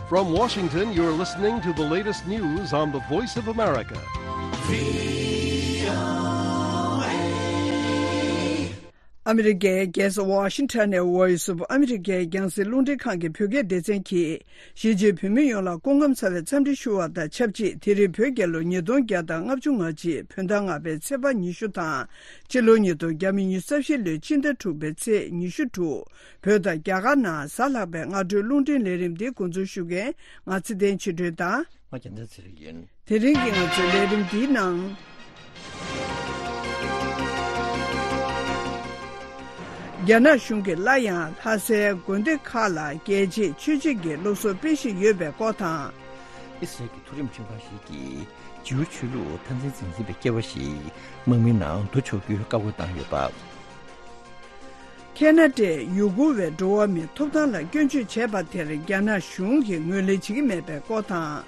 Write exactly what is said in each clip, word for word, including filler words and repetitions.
From Washington, you're listening to the latest news on the Voice of America. ཨ་མི་རི་ཀའི་རྒྱལ་ས་ཝ་ཤིང་ཊོན་ནས་Voice of America རྒྱང་སྲིང་རླུང་འཕྲིན་ཁང་གི་བོད་སྐད་སྡེ་ཚན་གྱིས། གཞིས་བྱེས་བོད་མི་ཡོངས་ལ་སྐུ་ཁམས་བཟང་བའི་འཚམས་འདྲི་ཞུ་བ་དང་ཆབས་ཅིག་དེ་རིང་བོད་རྒྱལ་ལོ་ཉིས་སྟོང་བརྒྱ་དང་ལྔ་བཅུ་ང་གཅིག་བོད་ཟླ་ལྔ་པའི་ཚེས་པ་ཉི་ཤུ་དང་། སྤྱི་ལོ་ཉིས་སྟོང་ཉི་ཤུ་རྩ་བཞི་ལོའི་ཕྱི་ཟླ་དྲུག་པའི་ཚེས་ཉི་ཤུ་དྲུག་བོད་དང་རྒྱ་གར་ནང་གཟའ་ལྷག་པའི་སྔ་དྲོའི་རླུང་འཕྲིན་ལས་རིམ་འདི་འགོ་འཛུགས་ཞུ་མཁན་ང་ཚེ་བརྟན་ཆོས་སྒྲོན་དང་། ང་རྒྱལ་མཚན་ཚེ་རིང་ཡིན། དེ་རིང་གི་ང་ཚོའི་ལས་རིམ་འདིའི་ནང་། རྒྱ་ནག་གཞུང་གིས་སླར་ཡང་ལྷ་སའི་དགོན་སྡེ་ཁག་ལ་རྒྱལ་གཅེས་ཆོས་གཅེས་ཀྱི་སློབ་གསོ་སྤེལ་བཞིན་ཡོད་པའི་སྐོར་དང་། ཨི་སི་རལ་གྱི་མཐོ་རིམ་ཁྲིམས་ཁང་ཞིག་གིས་ཇིའུ་ཆོས་ལུགས་འཐབ་འཛིང་འཛིན་འཛིན་པའི་སྐྱེས་པ་ཞིག་དམག་མིའི་ནང་འདུ་ཆོག་རྒྱུའི་བཀའ་བཀོད་བཏང་ཡོད་པ། ཁེ་ན་ཌའི་ཡུ་གུར་བའི་འགྲོ་བ་མིའི་ཐོབ་ཐང་ལ་སྐྱོན་བརྗོད་བྱས་པ་དེར་རྒྱ་ནག་གཞུང་གིས་ངོས་ལེན་བྱེད་ཀྱི་མེད་པའི་སྐོར་དང་།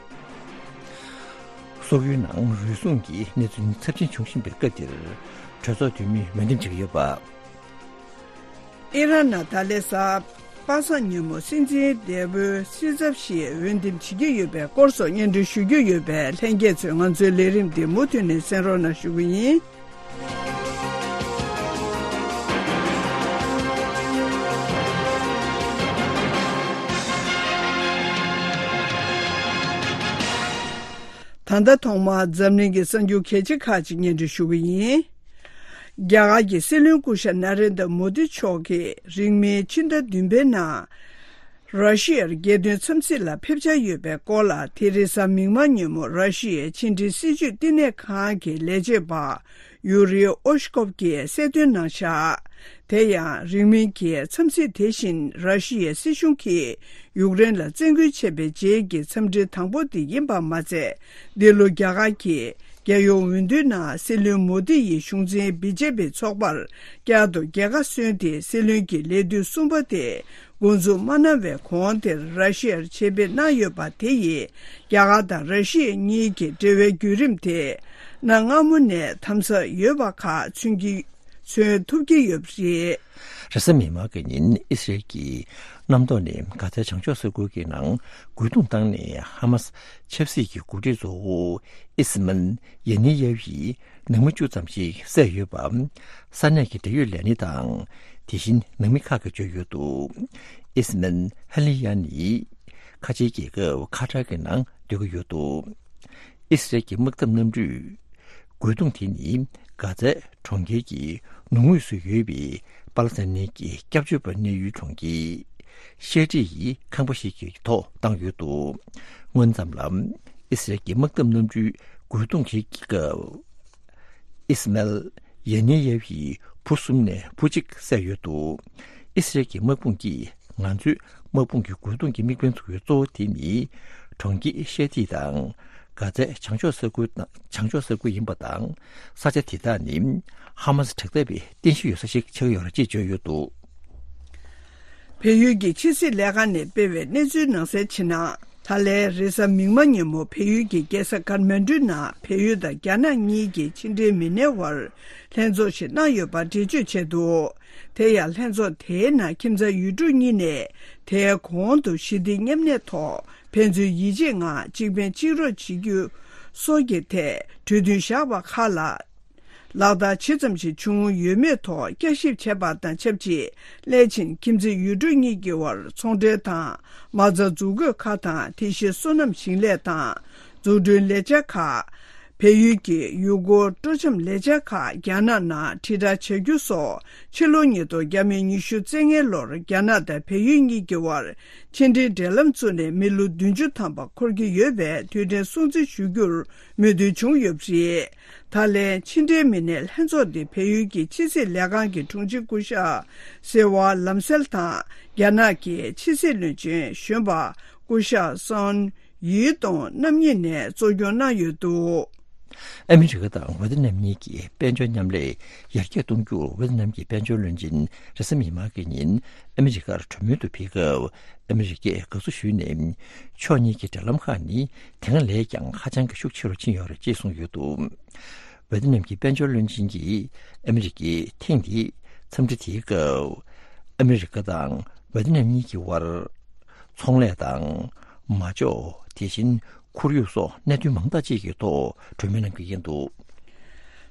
སོག་ཡུལ་ནང་རུལ་སུངས་ཀྱི་གནས་ཚུལ་ཚབས་ཆེན་འབྱུང་བཞིན་པའི་སྐབས་འདིར། གྲོས་ཚོགས་འཐུས་མིས་འོས་འདེམས་བྱེད་ཀྱི་ཡོད་པ། ཨི་རན་ནང་ད་ལན་གཟའ་པ་སངས་ཉིན་མོ་སྲིད་འཛིན་འདས་པོའི་སྲིད་ཚབ་ཞིག་འོས་འདེམས་བྱེད་ཀྱི་ཡོད་པའི་སྐོར་སོགས་སྙན་སྒྲོན་ཞུ་རྒྱུ་ཡོད་པས། ལྷན་རྒྱས་ཚོས་ང་ཚོའི་ལས་རིམ་འདི་མུ་མཐུད་ནས་གསན་རོགས་གནང་ཞུ་གི་ཡིན། ད་ལྟ་ཐོག་མར་འཛམ་གླིང་གི་གསར་འགྱུར་གལ་ཆེ་ཁག་ཅིག་སྙན་སྒྲོན་ཞུ་གི་ཡིན། རྒྱ་གར་གྱི་སྲིད་བློན་སྐུ་ཞབས་ན་རེན་དྲ་མོ་དི་མཆོག་གིས་རིང་མིན་ཕྱི་ཟླ་བདུན་པའི་ནང་། ར་ཤི་ཡར་རྒྱལ་དོན་འཚམས་གཟིགས་ལ་ཕེབས་འཆར་ཡོད་པའི་སྐོར་ལ། དེ་རིང་གཟའ་མིག་དམར་ཉིན་མོ་ར་ཤི་ཡའི་ཕྱི་འབྲེལ་སྲིད་བྱུས་བསྟི་གནས་ཁང་གི་ལས་བྱེད་པ་ཡུ་རི་ཨོ་ཤ་ཀོབ་ཀྱིས་གསལ་སྟོན་གནང་བཞག་དེ་ཡང་རིང་མིན་གྱི་འཚམས་གཟིགས་དེ་བཞིན་ར་ཤི་ཡའི་སྲིད་གཞུང་གིས་ཡུཀ་རེན་ལ་བཙན་རྒོལ་བྱས་པའི་རྗེས་ཀྱི་འཚམས་འདྲི་དང་པོ་དེ་ཡིན་པ་མ་ཚད། འདི་ལོ་རྒྱ་གར་གྱི་རྒྱལ་ཡོངས་འོས་བསྡུའི་ནང་སྲིད་བློན་མོ་དི་ཡི་གཞུང་འཛིན་བི་ཇེ་པི་ཚོགས་པར་བསྐྱར་དུ་རྒྱལ་ཁ་སོན་ཏེ། སྲིད་བློན་གྱི་ལས་དུས་གསུམ་པ་དེ་འགོ་འཛུགས་མ་གནང་བའི་གོང་དེར་ར་ཤི་ཡར་ཆེད་ཕེབས་གནང་ཡོད་པ་དེ་ཡིས། རྒྱ་གར་དང་ར་ཤི་ཡ་གཉིས་ཀྱི་འབྲེལ་བའི་བརྒྱུད་རིམ་དེ་གནའ་སྔ་མོ་ནས་དམ་ཟབ་ཡོད་པ་ཁག་མཚོན་གྱི། མཚོན་ཐུབ་ཀྱི་ཡོད་པ་རེད། རེས་གཟའ་མིག་དམར་གྱི་ཉིན་ཨི་སི་རལ་གྱིས་གནམ་ཐོག་ནས་གྷ་ཛའི་བྱང་ཕྱོགས་ས་ཁུལ་གྱི་ནང་རྒོལ་རྡུང་བཏང་ནས་ཧ་མ་སི་ཆབ་སྲིད་ཀྱི་འགོ་ཁྲིད་གཙོ་བོ་ཨི་སི་མན་ཡེ་ནེ་ཡེ་ཝི་ནང་མི་བཅུ་ཙམ་ཞིག་བསད་ཡོད་པ། ས་གནས་ཀྱི་འབྲེལ་ཡོད་ལས་སྣེ་དང་། དེ་བཞིན་ནང་མི་ཁག་གིས་བརྗོད་ཡོད་འདུག་ཨི་སི་མན་ཧ་ལི་ཡ་ནི་ཁ་ཆེའི་རྒྱལ་ཁབ་ཁ་ཏར་གྱི་ནང་སྡོད་ཀྱི་ཡོད་འདུག་ཨི་སི་རལ་གྱི་དམག་འཐབ་གནམ་གྲུས་རྒོལ་རྡུང་དེ་ནི་གྷ་ཛའི་གྲོང་ཁྱེར་གྱི་ནུབ་ངོས་སུ་ཡོད་པའི་པ་ལི་སི་ཐན་གྱི་སྐྱབས་བཅོལ་བ་གནས་ཡུལ་གྲོང་ཁྱེར་ཤེ་ཏི་ཡི་ཁང་པ་ཞིག་གི་ཐོག་བཏང་ཡོད་འདུག་སྔོན་ཙམ་ལ་ཨི་སི་རལ་གྱི་དམག་འཐབ་གནམ་གྲུས་རྒོལ་རྡུང་བྱེད་ཀྱི་སྐབས། ཨི་སི་མལ་ཡེ་ནེ་ཡེ་ཝིའི་བུ་གསུམ་ནས་བུ་གཅིག་བསད་ཡོད་འདུག་ཨི་སི་རལ་གྱི་དམག་དཔུང་གིས་ང་ཚོའི་དམག་དཔུང་གི་རྒོལ་རྡུང་གི་དམིགས་འབེན་ཚུགས་ཡུལ་གཙོ་བོ་དེ་ནི་གྲོང་ཁྱེར་ཤེ་ཏི་དང་གྷ་ཛའི་བྱང་ཕྱོགས་ས་ཁུལ་དང་། བྱང་ཕྱོགས་ས་ཁུལ་ཡིན་པ་དང་། ས་ཆ་དེ་དག་ནི་ཧ་མ་སི་དྲག་འཐབ་པའི་རྟེན་གཞི་ཡོད་ས་ཞིག་ཆགས་ཡོད་རེད་ཅེས་བརྗོད་ཡོད་འདུག་བལ་ཡུལ་གྱི་ཕྱི་སྲིད་ལས་ཁང་ནས་སྤེལ་བའི་གནས་ཚུལ་ནང་གསལ་བྱས་ན། ད་ལན་རེས་གཟའ་མིག་དམར་ཉིན་མོ་བལ་ཡུལ་གྱི་རྒྱལ་ས་ཀཱ་ཐ་མན་གྲུའི་ནང་བལ་ཡུལ་དང་རྒྱ་ནག་གཉིས་ཀྱི་ཕྱི་འབྲེལ་མི་སྣའི་དབར་ལྷན་ཚོགས་ཤིག་གནང་ཡོད་པ་འགྲེལ་བརྗོད་བྱས་འདུག་དེ་ཡང་ལྷན་ཚོགས་དེའི་ནང་ཁྱིམ་ཚང་ཡུལ་གྲུ་གཉིས་ནས་དེའི་གོང་དུ་ཞི་བདེ་མཉམ་གནས་ཐོག་ཕན་ཚུན་ཡིད་ཆེས་ངང་གཅིག་ཕན་གཅིག་རོགས་བྱེད་རྒྱུ་སོགས་ཀྱི་ཐད་གྲོས་མཐུན་བཞག་པ་ཁག་ལ། ལག་བསྟར་ཇི་ཙམ་ཞིག་བྱུང་ཡོད་མེད་ཐོག་བསྐྱར་ཞིབ་བྱས་པ་དང་ཆབས་ཅིག་སླད་ཕྱིན་ཁྱིམ་མཚེས་ཡུལ་གྲུ་གཉིས་ཀྱི་དབར་ཚོང་འབྲེལ་དང་མ་རྩ་འཛུགས་དགོས་ཁག་དང་། དེ་བཞིན་སོ་ནམ་ཞིང་ལས་དང་འཛུགས་སྐྲུན་ལས་འཆར་ཁག་བལ་ཡུལ་གྱི་ཡུལ་སྐོར་སྤྲོ་འཆམ་ལས་འཆར་ཁག་རྒྱ་ནག་ནང་དྲིལ་བསྒྲགས་བྱ་རྒྱུ་སོགས་ཕྱི་ལོ་ཉིས་སྟོང་ཉི་ཤུ་རྩ་ལྔའི་ལོར་རྒྱ་ནག་དང་བལ་ཡུལ་གཉིས་ཀྱི་དབར་ཕྱི་འབྲེལ་འབྲེལ་ལམ་བཙུགས་ནས་མི་ལོ་བདུན་ཅུ་ཐམ་པ་འཁོར་གྱི་ཡོད་པའི་དུས་དྲན་སྲུང་བརྩི་ཞུ་རྒྱུར་མོས་མཐུན་བྱུང་ཡོད་པ་རེད། ད་ལན་ཕྱི་འབྲེལ་མི་སྣའི་ལྷན་ཚོགས་འདི་བལ་ཡུལ་གྱི་ཕྱི་སྲིད་ལས་ཁང་གི་དྲུང་ཆེ་སྐུ་ཞབས་སིལ་ཝ་ལམ་སེལ་དང་རྒྱ་ནག་གི་ཕྱི་སྲིད་བློན་ཆེན་གཞོན་པ་སྐུ་ཞབས་སོན་ཡི་ཏུང་རྣམ་གཉིས་ནས་གཙོ་སྐྱོང་གནང་ཡོད་འདུག་ཨ་མི་རི་ཀ་དང་ཝེ་ཏི་ནམ་གཉིས་ཀྱི་དཔལ་འབྱོར་མཉམ་ལས་ཡར་རྒྱས་གཏོང་རྒྱུར་ཝེ་ཏི་ནམ་གྱི་དཔལ་འབྱོར་བློན་ཆེན་རེས་གཟའ་མིག་དམར་གྱི་ཉིན་ཨ་མི་རི་ཀར་གྲོས་མོལ་དུ་ཕེབས་སྐབས། ཨ་མི་རི་ཀས་དགའ་བསུ་ཞུས་ནས། ཕྱོགས་གཉིས་ཀྱི་འབྲེལ་ལམ་ཁག་ནི་དེ་སྔ་ལས་ཀྱང་ཧ་ཅང་གི་ཤུགས་ཆེ་རུ་ཕྱིན་ཡོད་རེད་ཅེས་གསུངས་ཡོད་འདུག་ཝེ་ཏི་ནམ་གྱི་དཔལ་འབྱོར་བློན་ཆེན་གྱིས་ཨ་མི་རི་ཀའི་ཐེངས་འདིའི་འཚམས་འདྲི་དེའི་སྐབས། ཨ་མི་རི་ཀ་དང་ཝེ་ཏི་ནམ་གཉིས་ཀྱི་དབར་ཚོང་ལས་དང་ མ་འཇོག་དེ་བཞིན་ཁོར་ཡུག་སོགས་གནད་དོན་མང་དག་ཅིག་གི་ཐོག་གྲོས་མོལ་གནང་གི་ཡིན་འདུག།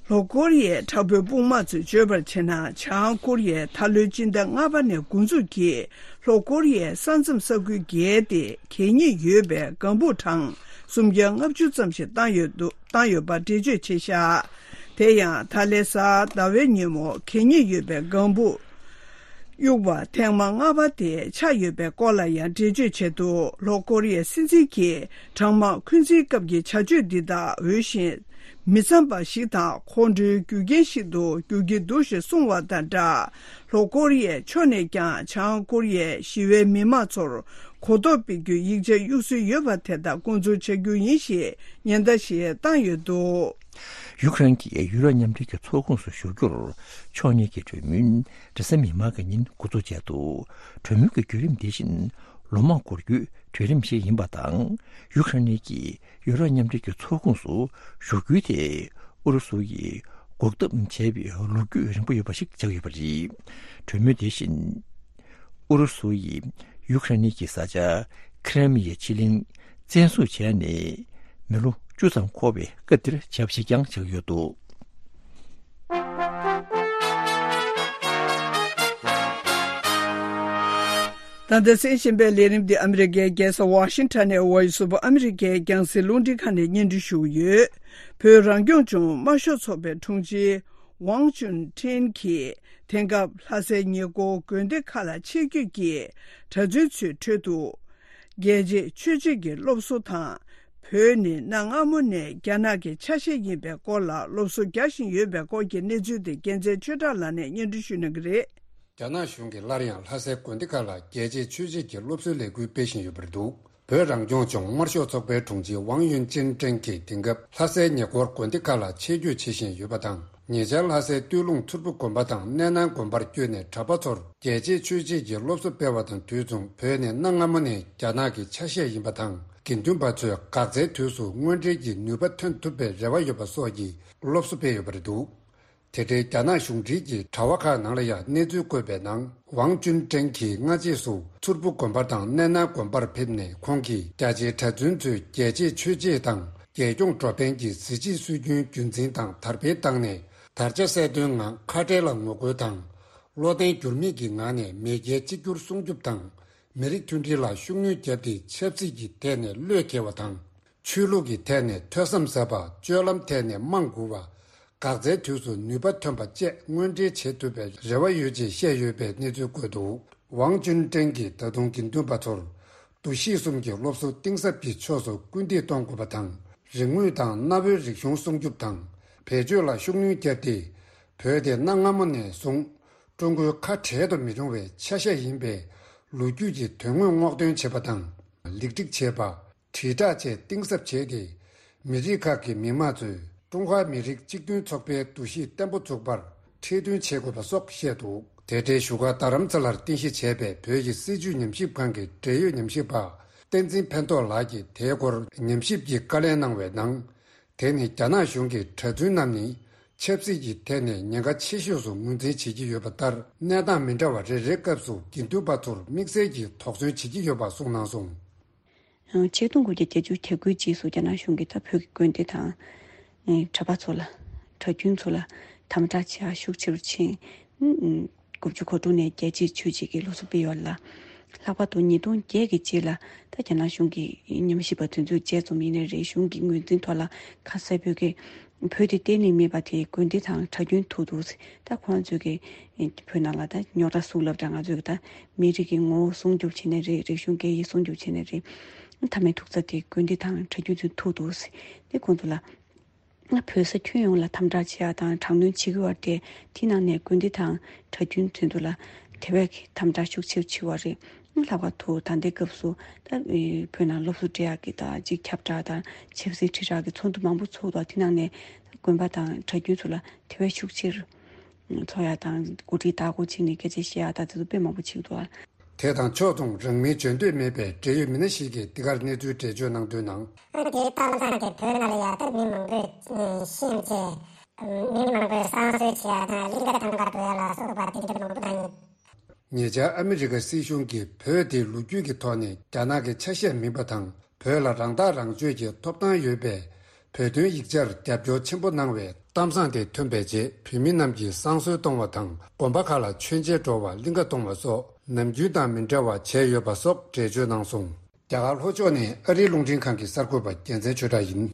ལྷོ་ཀོ་རི་ཡའི་དྲག་པོའི་དཔུང་དམག་ཚོས་བརྗོད་པར་བྱས་ན། བྱང་ཀོ་རི་ཡས་ད་ལོའི་སྤྱི་ཟླ་ལྔ་པ་ནས་འགོ་འཛུགས་ཀྱིས་ལྷོ་ཀོ་རི་ཡའི་ས་མཚམས་ས་ཁུལ་བརྒལ་ཏེ་གད་སྙིགས་ཡོད་པའི་ལྒང་ཕུག་གྲངས་སུམ་བརྒྱ་ལྔ་བཅུ་ཙམ་ཞིག་བཏང་ཡོད་འདུག་བཏང་ཡོད་པ་འགྲེལ་བརྗོད་བྱས་བཞག། དེ་ཡང་ད་ལོའི་གཟའ་ཟླ་བའི་ཉིན་མོ་གད་སྙིགས་ཡོད་པའི་ལྒང་ཕུག་གཡུག་པ་ཐེངས་མ་ལྔ་པ་དེ་ཆགས་ཡོད་པའི་སྐོར་ལ་ཡང་འགྲེལ་བརྗོད་བྱས་འདུག། ལྷོ་ཀོ་རི་ཡའི་སྲིད་འཛིན་གྱིས་གྲང་དམག་འཁོན་འཛིན་སྐབས་ཀྱི་བྱ་སྤྱོད་འདི་དག་འོས་ཤིང་མི་འཚམ་པ་ཞིག་དང་ཁོང་ཁྲོའི་རྒྱུ་རྐྱེན་ཞིག་ཏུ་འགྱུར་གྱི་འདུག་ཞེས་གསུངས་བ་དང་སྦྲགས། ལྷོ་ཀོ་རི་ཡའི་ཕྱོགས་ནས་ཀྱང་བྱང་ཀོ་རི་ཡའི་ཞི་བའི་མི་མང་ཚོར་གོ་རྟོགས་སྤེལ་རྒྱུའི་ཡིག་ཆ་གཡུག་སྲོལ་ཡོད་པ་དེ་དག་འགོ་འཛུགས་བྱ་རྒྱུ་ཡིན་ཞེས་ཉེན་བརྡ་ཞིག་བཏང་ཡོད་འདུག། ཡུཀ་རེན་གྱིས་ཡུ་རོབ་མཉམ་འབྲེལ་གྱི་ཚོགས་ཁོངས་སུ་ཞུགས་རྒྱུར་ཕྱོགས་གཉིས་ཀྱི་གྲོས་མོལ་རེས་གཟའ་མིག་དམར་གྱི་ཉིན་འགོ་འཛུགས་བྱས་འདུག། གྲོས་མོལ་གྱི་བརྒྱུད་རིམ་དེ་བཞིན་ལོ་མང་འགོར་རྒྱུའི་གྲོས་རིམ་ཞིག་ཡིན་པ་དང་། ཡུཀ་རེན་གྱིས་ཡུ་རོབ་མཉམ་འབྲེལ་གྱི་ཚོགས་ཁོངས་སུ་ཞུགས་རྒྱུ་དེ་ཨུ་རུ་སུ་ཡིས་འགོག་ཐབས་བྱས་པའི་ལོ་རྒྱུས་རིང་པོ་ཡོད་པ་ཞིག་ཆགས་ཡོད་པ་རེད། གྲོས་མོལ་དེ་བཞིན་ཨུ་རུ་སུ་ཡིས་ཡུཀ་རེན་གྱི་ས་ཆ་ཁི་རེ་མི་ཡའི་ཕྱེད་གླིང་བཙན་བཟུང་བྱས་ནས་མི་ལོ་བཅུ་ཙམ་འཁོར་བའི་སྐབས་འདིར་བྱས་པ་ཞིག་ཀྱང་ཆགས་ཡོད་འདུག། ད་ལྟ་གསན་བཞིན་པའི་ལས་རིམ་འདི་ཨ་མི་རི་ཀའི་རྒྱལ་ས་ཝ་ཤིང་ཊོན་ནས་Voice of America ཡི་རྒྱང་སྲིང་རླུང་འཕྲིན་ཁང་ནས་སྙན་སྒྲོན་ཞུ་གི་ཡོད། བོད་རང་སྐྱོང་ལྗོངས་དམར་ཤོག་ཚོགས་པའི་དྲུང་ཆེ་ཝང་ཅུན་ཀྲེང་གིས་དེང་སྐབས་ལྷ་སའི་ཉེ་འཁོར་དགོན་སྡེ་ཁག་ལ་ཆེད་བསྐྱོད་ཀྱིས་གྲྭ་བཙུན་ཚོའི་ཁྲོད་དུ་རྒྱལ་གཅེས་ཆོས་གཅེས་ཀྱི་སློབ་གསོ་དང་། བོད་ནི་གནའ་སྔ་མོ་ནས་རྒྱ་ནག་གི་ཆ་ཤས་ཡིན་པའི་སྐོར་ལ་སློབ་གསོ་རྒྱག་བཞིན་ཡོད་པའི་སྐོར་གྱི་གནས་ཚུལ་དེ་རྒྱལ་མཚན་ཆོས་གྲགས་ལགས་ནས་སྙན་སྒྲོན་ཞུ་གནང་གི་རེད། རྒྱ་ནག་གཞུང་གིས་སླར་ཡང་ལྷ་སའི་དགོན་སྡེ་ཁག་ལ་རྒྱལ་གཅེས་ཆོས་གཅེས་ཀྱི་སློབ་གསོའི་ལས་འགུལ་སྤེལ་བཞིན་ཡོད་པ་རེད་འདུག། བོད་རང་སྐྱོང་ལྗོངས་དམར་ཤོག་ཚོགས་པའི་དྲུང་ཆེ་ཝང་ཡུན་ཅིན་ཀྲེང་གིས་དེང་སྐབས་ལྷ་སའི་ཉེ་འཁོར་དགོན་སྡེ་ཁག་ལ་ཆེད་བསྐྱོད་བྱེད་བཞིན་ཡོད་པ་དང་། ཉེ་ཆར་ལྷ་སའི་སྟོད་ལུང་མཚུར་ཕུ་དགོན་པ་དང་གནས་ནང་དགོན་པར་བསྐྱོད་ནས་གྲྭ་པ་ཚོར་རྒྱལ་གཅེས་ཆོས་གཅེས་ཀྱི་སློབ་གསོ་སྤེལ་བ་དང་དུས་མཚུངས། བོད་ནི་གནའ་སྔ་མོ་ནས་རྒྱ་ནག་གི་ཆ་ཤས་ཡིན་པ་དང་། དགེ་འདུན་པ་ཚོས་འགག་རྩའི་དུས་སུ་དངོས་འབྲེལ་གྱི་ནུས་པ་ཐོན་ཐུབ་པའི་རེ་བ་ཡོད་པ་སོགས་ཀྱི་སློབ་གསོ་སྤེལ་ཡོད་པ་རེད་འདུག། དེ་འབྲེལ་རྒྱ་ནག་གཞུང་འབྲེལ་གྱི་དྲ་བ་ཁག་ནང་ལ་ཡང་གནས་ཚུལ་བཀོད་པའི་ནང་། ཝང་ཅུན་ཀྲེང་གིས་སྔ་རྗེས་སུ་མཚུར་ཕུ་དགོན་པ་དང་གནས་ནང་དགོན་པར་ཕེབས་ནས། ཁོང་གིས་རྒྱ་ཆེའི་གྲྭ་བཙུན་ཚོས་རྒྱལ་གཅེས་ཆོས་གཅེས་དང་། རྒྱལ་སྐྱོང་འགྲོ་ཕན་གྱི་གཟི་བརྗིད་སྲོལ་རྒྱུན་རྒྱུན་འཛིན་དང་དར་སྤེལ་བཏང་ནས། དར་ཆ་གསལ་སྟོན་ངང་ཁ་བྲལ་ལ་ངོ་རྒོལ་དང་། བློ་བརྟན་འགྱུར་མེད་ཀྱི་ངང་ནས་མེས་རྒྱལ་གཅིག་གྱུར་སྲུང་སྐྱོབ་དང་། མི་རིགས་མཐུན་སྒྲིལ་ལ་ཤུགས་སྣོན་བརྒྱབ་སྟེ། ཆབ་སྲིད་ཀྱི་ཐད་ནས་བློས་འགེལ་བ་དང་། ཆོས་ལུགས་ཀྱི་ཐད་ནས་ཐོས་བསམ་ཟབ་པ། སྤྱོད་ལམ་ཐད་ནས་དམངས་མགུ་བ། འགག་རྩའི་དུས་སུ་ནུས་པ་ཐོན་པ་བཅས་དངོས་འབྲེལ་བྱེད་ཐུབ་པའི་རེ་བ་ཡོད་ཅེས་བཤད་ཡོད་པའི་གནས་ཚུལ་བཀོད་འདུག། ཝང་ཅུན་ཀྲེང་གིས་ད་དུང་དགེ་འདུན་པ་ཚོར་འདུ་ཤེས་གསུམ་གྱི་སློབ་གསོ་གཏིང་ཟབ་ཀྱི་ཕྱོགས་སུ་སྐུལ་འདེད་གཏོང་དགོས་པ་དང་། རིག་དངོས་དང་གནའ་བོའི་རིག་གཞུང་སྲུང་སྐྱོབ་དང་། བེད་སྤྱོད་ལ་ཤུགས་སྣོན་བརྒྱབ་སྟེ། བོད་དེ་གནའ་སྔ་མོ་ནས་བཟུང་ཀྲུང་གོའི་ཁ་བྲལ་དུ་མི་རུང་བའི་ཆ་ཤས་ཡིན་པའི་ལོ་རྒྱུས་ཀྱི་དོན་དངོས་སྔོག་འདོན་བྱེད་པ་དང་། ལེགས་སྒྲིག་བྱེད་པ། དྲིལ་བསྒྲགས་བཅས་གཏིང་ཟབ་བྱས་ཏེ། མི་རིགས་ཁག་གི་མི་དམངས་ཚོས་ཀྲུང་ཧྭ་མི་རིགས་གཅིག་མཐུན་ཚོགས་པའི་འདུ་ཤེས་བརྟན་པོ་འཛུགས་པར་འཁྲིད་སྟོན་བྱེད་དགོས་པ་སོགས་བཤད་འདུག། དེ་འབྲེལ་བཞུགས་སྒར་རྡ་རམ་ས་ལར་རྟེན་གཞི་བྱས་པའི་བོད་ཀྱི་སྲིད་བྱུས་ཉམས་ཞིབ་ཁང་གི་འབྲེལ་ཡོད་ཉམས་ཞིབ་པ་བསྟན་འཛིན་ཕན་ཐོགས་ལགས་ཀྱིས་དེའི་སྐོར་ཉམས་ཞིབ་ཀྱི་བཀའ་ལན་གནང་བའི་ནང་། དེ་ནི་རྒྱ་ནག་གཞུང་གིས་གྲྭ་བཙུན་རྣམས་ནི་ཆབ་སྲིད་ཀྱི་ཐད་ནས་ཉེན་ཁ་ཆེ་ཤོས་སུ་ངོས་འཛིན་བྱེད་ཀྱི་ཡོད་པ་ལྟར། གནས་སྟངས་མི་འདྲ་བ་རེ་རེའི་སྐབས་སུ་དགེ་འདུན་པ་ཚོར་དམིགས་བསལ་གྱིས་དོགས་ཟོན་བྱེད་ཀྱི་ཡོད་པ་གསུངས་གནང་སོང་། ཆིག་སྟོང་དགུ་བརྒྱ་བརྒྱད་ཅུ་གྱ་དགུའི་རྗེས་སུ་རྒྱ་ནག་གཞུང་གིས་ད་བོད་ཀྱི་དགོན་སྡེ་དང་། ཨེ། གྲྭ་པ་ཚོ་ལ། གྲྭ་རྒྱུན་ཚོ་ལ་དམ་དྲག་བྱེད་ཡག་ཤུགས་ཆེ་རུ་ཕྱིན། ཨུམ། དགུ་བཅུ་གོ་དྲུག་ནས་རྒྱལ་གཅེས་ཆོས་གཅེས་ཀྱི་སློབ་གསོ་སྤེལ་ཡོད་ལ། ལྷག་པར་དུ་ཉིས་སྟོང་བརྒྱད་ཀྱི་རྗེས་ལ་ད་རྒྱ་ནག་གཞུང་གི་ཉམས་ཞིབ་པ་དེ་ཚོས་དཔྱད་རྩོམ་ཡིན་ནའི་རེད། གཞུང་གི་ངོས་འཛིན་ཐོག་ལ་ཁ་གསལ་པོ་གི་བོད་དེ་གཏན་ནས་མེད་པ་དེ་དགོན་སྡེ་དང་གྲྭ་རྒྱུན་ཐུག་འདུག། ད་ཁོང་ཚོས་ཀྱི་བོད་ནང་ལ་ད་རྙོག་དྲ་སུག་ལབ་འདྲ། ང་ཚོས་ཀྱི་ད་མི་རིགས་ཀྱི་ངོ་བོ་སྲུང་སྐྱོབ་བྱས་ནའི་རེད། རིག་གཞུང་སྐད་ཡིག་སྲུང་སྐྱོབ་བྱས་ནའི་རེད། མཐའ་མའི་ཐུག་ས་དེ་དགོན་སྡེ་དང་གྲྭ་རྒྱུན་ཚོས་ཐུག་འདུག། དེ་ཁོང་ཚོ་ལ། ང་བོད་ས་ཁྱོན་ཡོངས་ལ་དམ་དྲག་བྱེད་ཡ་དང་དྲག་གནོན་བྱེད་ཀྱི་ཡོད་རེད་དེ། དེ་ནང་ནས་དགོན་སྡེ་དང་གྲྭ་རྒྱུན་དེ་ཚོ་ལ་དེ་བས་དམ་དྲག་ཤུགས་ཆེ་བྱེད་པ་རེད། ལྷག་པར་དུ་ད་ལྟའི་སྐབས་སུ་ད་བོད་ནང་སློབ་གསོ་སྤྲད་ཡག་གི་དང་ཅིག་ཁྱབ་བསྒྲགས་དང་ཆབ་སྲིད་དྲིལ་བསྒྲགས་ཀྱི་ཚོགས་འདུ་མང་པོ་ཚོགས་འདུག། དེ་ནང་ནས་དགོན་པ་དང་གྲྭ་རྒྱུན་ཚོ་ལ་དེ་བས་ཤུགས་ཆེར་ཚོགས་ཡ་དང་འགོ་ཁྲིད་བདག་པོ་བྱས་ནས་སྐད་ཆ་བཤད་ཡ་དང་དེ་ཚོ་དཔེ་མང་པོ་བྱེད་ཀྱི་འདུག་ཨ། དེ་དང་ཕྱོགས་མཚུངས་རང་མིང་བརྗོད་འདོད་མེད་པའི་འབྲེལ་ཡོད་མི་སྣ་ཞིག་གིས་འདི་གར་གནས་ཚུལ་འགྲེལ་བརྗོད་གནང་དོན་ནང་། ཨ་ནི་དེའི་ལྟ་སྟངས་དེ་བོད་ནང་ལ་ཡ་ད་མི་མང་པོས་ཤེས་བྱས། མི་མང་པོས་བསང་གསོལ་བྱེད་ཡ་དང་གླིང་ག་ཐང་ག་འགྲོ་ཡ་ལ་སོགས་པ་དེ་འདྲ་མང་པོ་དང་། ཉེ་ཆར་ཨ་མི་རི་ཀ་སྲིད་གཞུང་གིས་བོད་དེ་ལོ་རྒྱུས་ཀྱི་ཐོག་ནས་རྒྱ་ནག་གི་ཆ་ཤས་མིན་པ་དང་། བོད་ལ་རང་ཐག་རང་གཅོད་ཀྱི་ཐོབ་ཐང་ཡོད་པའི་བོད་དོན་ཡིག་ཆར་རྒྱབ་སྐྱོར་ཆེན་པོ་གནང་བའི་གཏམ་བཟང་དེ་ཐོན་པའི་རྗེས། བོད་མི་རྣམས་ཀྱིས་བསང་གསོལ་གཏོང་བ་དང་། དགོན་པ་ཁག་ལ་མཆོད་མཇལ་འགྲོ་བར་གླིང་ག་གཏོང་བ་སོགས་ནམ་རྒྱུན་དང་མི་འདྲ་བ་བྱས་ཡོད་པ་སོགས་འགྲེལ་བརྗོད་གནང་སོང་། རྒྱ་གར་ལྷོ་ཕྱོགས་ནས་ཨ་རིའི་རླུང་འཕྲིན་ཁང་གི་གསར་འགོད་པ་རྒྱལ་མཚན་ཆོས་གྲགས་ཡིན།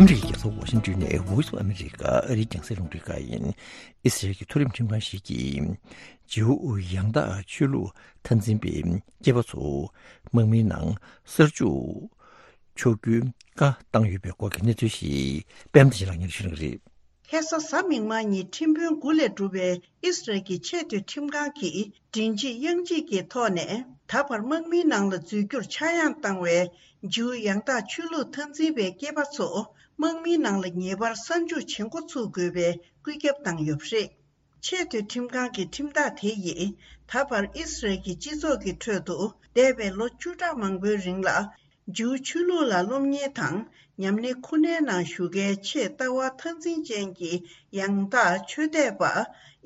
ཨ་མི་རི་ཀའི་རྒྱལ་ས་ཝ་ཤིང་ཏོན་ནས་Voice of America ཨ་རིའི་རྒྱང་སྲིང་རླུང་འཕྲིན་ཁང་ཡིན། ཨི་སི་རལ་གྱི་མཐོ་རིམ་ཁྲིམས་ཁང་ཞིག་གིས་ཇིའུ་ཡང་དག་ཆོས་ལུགས་མཐར་འཛིན་པའི་སྐྱེས་པ་ཚོ་དམག་མིའི་ནང་གསར་འཇུག་ཆོག་རྒྱུའི་བཀའ་བཏང་ཡོད་པའི་སྐོར་གྱི་གནས་ཚུལ་ཞིག་པད་མ་བདེ་ཆེན་ལགས་སྙན་སྒྲོན་ཞུ་གནང་གི་རེད། ཁ་སང་གཟའ་མིག་དམར་ཉིན་ཁྲིམས་དཔོན་དགུ་ལས་གྲུབ་པའི་ཨི་སི་རལ་གྱི་ཆེས་མཐོའི་ཁྲིམས་ཁང་གིས་མགྲིན་གཅིག་དབྱངས་གཅིག་གི་ཐོག་ནས། ད་བར་དམག་མིའི་ནང་ལ་འཛུལ་རྒྱུར་ཆག་ཡང་བཏང་བའི་ཇིའུ་ཡང་དག་ཆོས་ལུགས་མཐར་འཛིན་པའི་སྐྱེས་པ་ཚོ་དམག་མིའི་ནང་ལ་ངེས་པར་གསར་འཇུག་བྱེད་འགོ་ཚུགས་དགོས་པའི་བཀོད་ཁྱབ་བཏང་ཡོད་པ་རེད། ཆེས་མཐོའི་ཁྲིམས་ཁང་གི་ཁྲིམས་ཐག་དེ་ཡིས་ད་བར་ཨི་སི་རལ་གྱི་སྤྱི་ཚོགས་ཀྱི་ཁྲོད་དུ་འདས་པའི་ལོ་བཅུ་ཕྲག་མང་པོའི་རིང་ལ། ཇིའུ་ཆོས་ལུགས་ལ་སློབ་གཉེར་དང་ཉམས་ལེན་ཁོ་ནའི་ནང་ཞུགས་མཁན་ཆེས་ལྟ་བ་མཐར་འཛིན་ཅན་གྱི་ཡང་དག་ཆོས་དད་པ།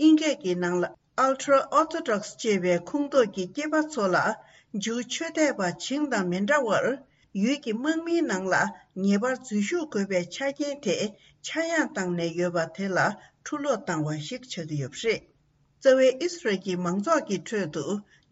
ཨིན་སྐད་ཀྱི་ནང་ལ་Ultra Orthodox ཅེས་པའི་ཁོངས་གཏོགས་ཀྱི་སྐྱེས་པ་ཚོ་ལ། ཇིའུ་ཆོས་དད་པ་བྱིངས་དང་མི་འདྲ་བར། ཡུལ་གྱི་དམག་མིའི་ནང་ལ་ངེས་པར་འཛུལ་ཞུགས་དགོས་པའི་ཆ་རྐྱེན་དེ་ཆག་ཡང་བཏང་ནས་ཡོད་པ་དེ་ལ་འཁྲུ་སློག་བཏང་བ་ཞིག་ཆགས་ཀྱི་ཡོད་པ་རེད། རྩ་བའི་ཨི་སི་རལ་གྱི་མང་ཚོགས་ཀྱི་ཁྲོད་དུ་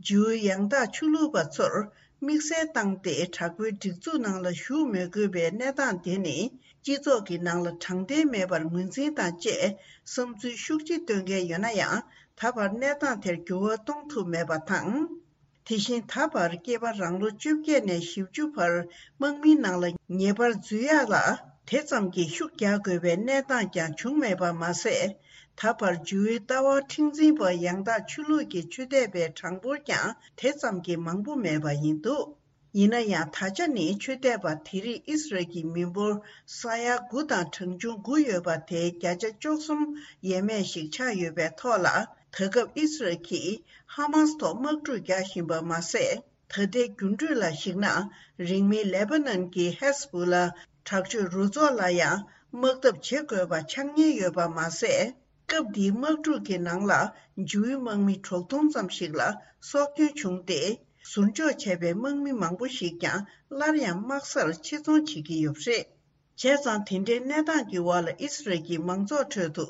ཇིའུ་ཡང་དག་ཆོས་ལུགས་པ་ཚོར་དམིགས་བསལ་བཏང་སྟེ། དྲག་པོའི་སྒྲིག་འཛུགས་ནང་ལ་ཞུགས་མི་དགོས་པའི་གནས་སྟངས་དེ་ནི། སྤྱི་ཚོགས་ཀྱི་ནང་ལ་དྲང་བདེན་མེད་པར་ངོས་འཛིན་དང་བཅས། བསམ་ཚུལ་ཤུགས་ཆེ་བཏོན་མཁན་ཡོད་ན་ཡང་། ད་བར་གནས་སྟངས་དེར་འགྱུར་བ་གཏོང་ཐུབ་མེད་པ་དང་། དེ་བཞིན་ད་བར་སྐྱེས་པ་རང་ལོ་བཅོ་བརྒྱད་ནས་བཞི་བཅུ་བར་དམག་མིའི་ནང་ལ་ངེས་པར་འཛུལ་ཡག་ལ་དེ་ཙམ་གྱིས་ཤུགས་རྒྱག་དགོས་པའི་གནས་སྟངས་ཀྱང་བྱུང་མེད་པ་མ་ཟད། ད་བར་ཇིའུའི་ལྟ་བ་མཁྲེགས་འཛིན་པ་ཡང་དག་ཆོས་ལུགས་ཀྱི་ཆོས་དད་པའི་གྲངས་འབོར་ཀྱང་དེ་ཙམ་གྱིས་མང་པོ་མེད་པ་ཡིན་འདུག་ཡིན་ན་ཡང་། ད་ཆ་ནི་ཆོས་དད་པ་དེ་རིགས་ཨི་སི་རལ་གྱི་མི་འབོར་ས་ཡ་དགུ་དང་གྲངས་ཆུང་དགུ་ཡོད་པ་དེའི་བརྒྱ་ཆ་བཅུ་གསུམ་ཡས་མས་ཤིག་ཆགས་ཡོད་པའི་ཐོག་ལ། ད་སྐབས་ཨི་སི་རལ་གྱིས་ཧ་མཱ་སི་ཐོག་དམག་འཁྲུག་རྒྱག་བཞིན་པ་མ་ཟད། ད་ལྟའི་འགྱུར་འགྲོས་ལ་གཞིགས་ན། རིང་མིན་ལེ་པ་ནན་གྱི་ཧེ་སི་བུ་ལ་དྲག་སྤྱོད་རུ་ཚོགས་ལ་ཡང་དམག་འཐབ་བྱེད་དགོས་པ་ཆགས་ཉེན་ཡོད་པ་མ་ཟད། སྐབས་འདིའི་དམག་འཁྲུག་གི་ནང་ལ་ཇིའུ་དམག་མི་དྲུག་སྟོང་ཙམ་ཞིག་ལ་སྲོག་སྐྱོན་བྱུང་སྟེ། ཟུར་འཇོག་བྱས་པའི་དམག་མི་མང་པོ་ཞིག་ཀྱང་སླར་ཡང་དམག་སར་ཆེད་རྫོང་བྱེད་ཀྱི་ཡོད་པ་རེད། བྱས་ཙང་། དེ་འདྲའི་གནས་སྟངས་ཀྱི་འོག་ལ་ཨི་སི་རལ་གྱི་མང་ཚོགས་ཁྲོད་དུ་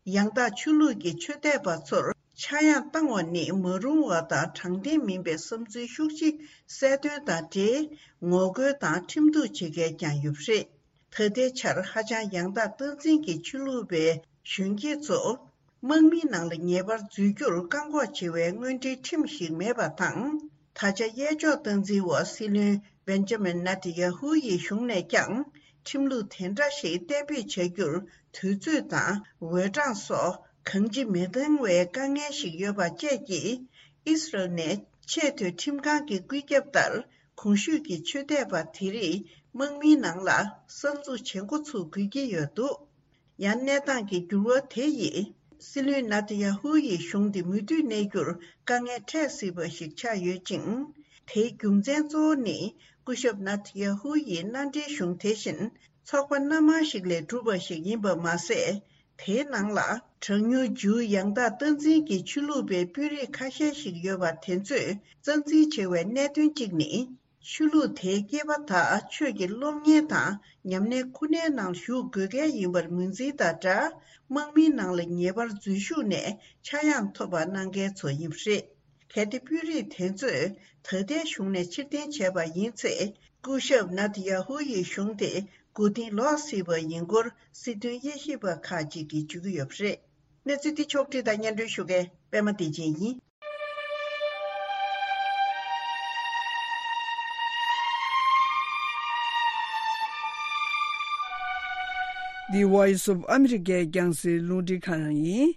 ཡང་དག་ཆོས་ལུགས་ཀྱི་ཆོས་དད་པ་ཚོར་ཆག་ཡང་བཏང་བ་ནི་མ་རུང་བ་དང་དྲང་བདེན་མིན་པའི་བསམ་ཚུལ་ཤུགས་ཆེ་གསལ་སྟོན་དང་འབྲེལ། ངོ་རྒོལ་དང་ཁྲིམས་གཏུག་བྱེད་མཁན་ཀྱང་ཡོད་པ་རེད། ད་ལྟའི་ཆར་ཧ་ཅང་ཡང་དག་སྟངས་འཛིན་གྱི་ཆོས་ལུགས་པའི་གཞོན་སྐྱེས་ཚོ། དམག་མིའི་ནང་ལ་ངེས་པར་འཛུལ་རྒྱུར་བཀག་འགོག་བྱེད་པའི་དངོས་འབྲེལ་ཁྲིམས་ཤིག་མེད་པ་དང་། ད་ཆ་གཡས་ཕྱོགས་སྟངས་འཛིན་འོག་སྲིད་བློན་བེན་ཇ་མིན་ནེ་ཐན་ཡ་ཧུ་ཡི་གཞུང་ནས་ཀྱང་ཁྲིམས་ལུགས་དེ་འདྲ་ཞིག་གཏན་འབེབས་བྱ་རྒྱུར་དུས་ཚོད་དང་འོས་གྲངས་སོགས་གང་ཅི་མི་འདང་བའི་དཀའ་ངལ་ཞིག་ཡོད་པ་བཅས་ཀྱིས། ཨི་སི་རལ་ནས་ཆེས་མཐོའི་ཁྲིམས་ཁང་གི་བཀོད་ཁྱབ་ལྟར། གོང་ཞུས་ཀྱི་ཆོས་དད་པ་དེ་རིགས་དམག་མིའི་ནང་ལ་གསར་འཛུགས་བྱེད་འགོ་ཚུགས་དགོས་ཀྱི་ཡོད་འདུག་ཡང་གནས་སྟངས་ཀྱི་འགྱུར་བ་དེ་ཡིས་སྲིད་བློན་ནེ་ཐན་ཡ་ཧུ་ཡི་གཞུང་དེ་མུ་མཐུད་གནས་རྒྱུར་དཀའ་ངལ་འཕྲད་སྲིད་པ་ཞིག་ཆགས་ཡོད་ཅིང་། དེའི་རྒྱུ་མཚན་གཙོ་བོ་ནི་སྐུ་ཞབས་ནེ་ཐན་ཡ་ཧུ་ཡི་མནའ་འབྲེལ་གཞུང་དེ་བཞིན་ཚོགས་པ་སྣ་མང་ཞིག་ལས་གྲུབ་པ་ཞིག་ཡིན་པ་མ་ཟད། དེའི་ནང་ལ་གྲངས་ཉུང་ཇིའུ་ཡང་དག་སྟངས་འཛིན་གྱི་ཆོས་ལུགས་པའི་དཔོན་རིགས་ཁ་ཤས་ཤིག་ཡོད་པ་དེ་ཚོས་རྩ་འཛིན་བྱེད་པའི་གནད་དོན་གཅིག་ནི། ཆོས་ལུགས་དེའི་སྐྱེས་པ་དག་ཆོས་ཀྱི་སློབ་གཉེར་དང་ཉམས་ལེན་ཁོ་ནའི་ནང་ཞུགས་དགོས་གལ་ཡིན་པར་ངོས་འཛིན་དང་སྦྲགས། དམག་མིའི་ནང་ལ་ངེས་པར་འཛུལ་ཞུགས་ནས་ཆག་ཡང་ཐོབ་པ་གནང་མཁན་ཚོ་ཡིན་པ་རེད། གལ་ཏེ་དཔོན་རིགས་དེ་ཚོས་ད་ལྟའི་གཞུང་ནས་ཕྱིར་འཐེན་བྱས་པ་ཡིན་ཚེ། སྐུ་ཞབས་ནེ་ཐན་ཡ་ཧུ་ཡི་གཞུང་དེ་མགོ་རྟིང་ལོག་སྲིད་པ་ཡིན་སྐོར་སྲིད་དོན་དབྱེ་ཞིབ་པ་ཁག་ཅིག་གིས་བརྗོད་ཀྱི་ཡོད་པ་རེད། གནས་ཚུལ་འདི་ཕྱོགས་བསྒྲིགས་དང་སྙན་སྒྲོན་ཞུ་མཁན་པད་མ་བདེ་ཆེན་ཡིན། འདི་Voice of America རྒྱང་སྲིང་རླུང་འཕྲིན་ཁང་ཡིན།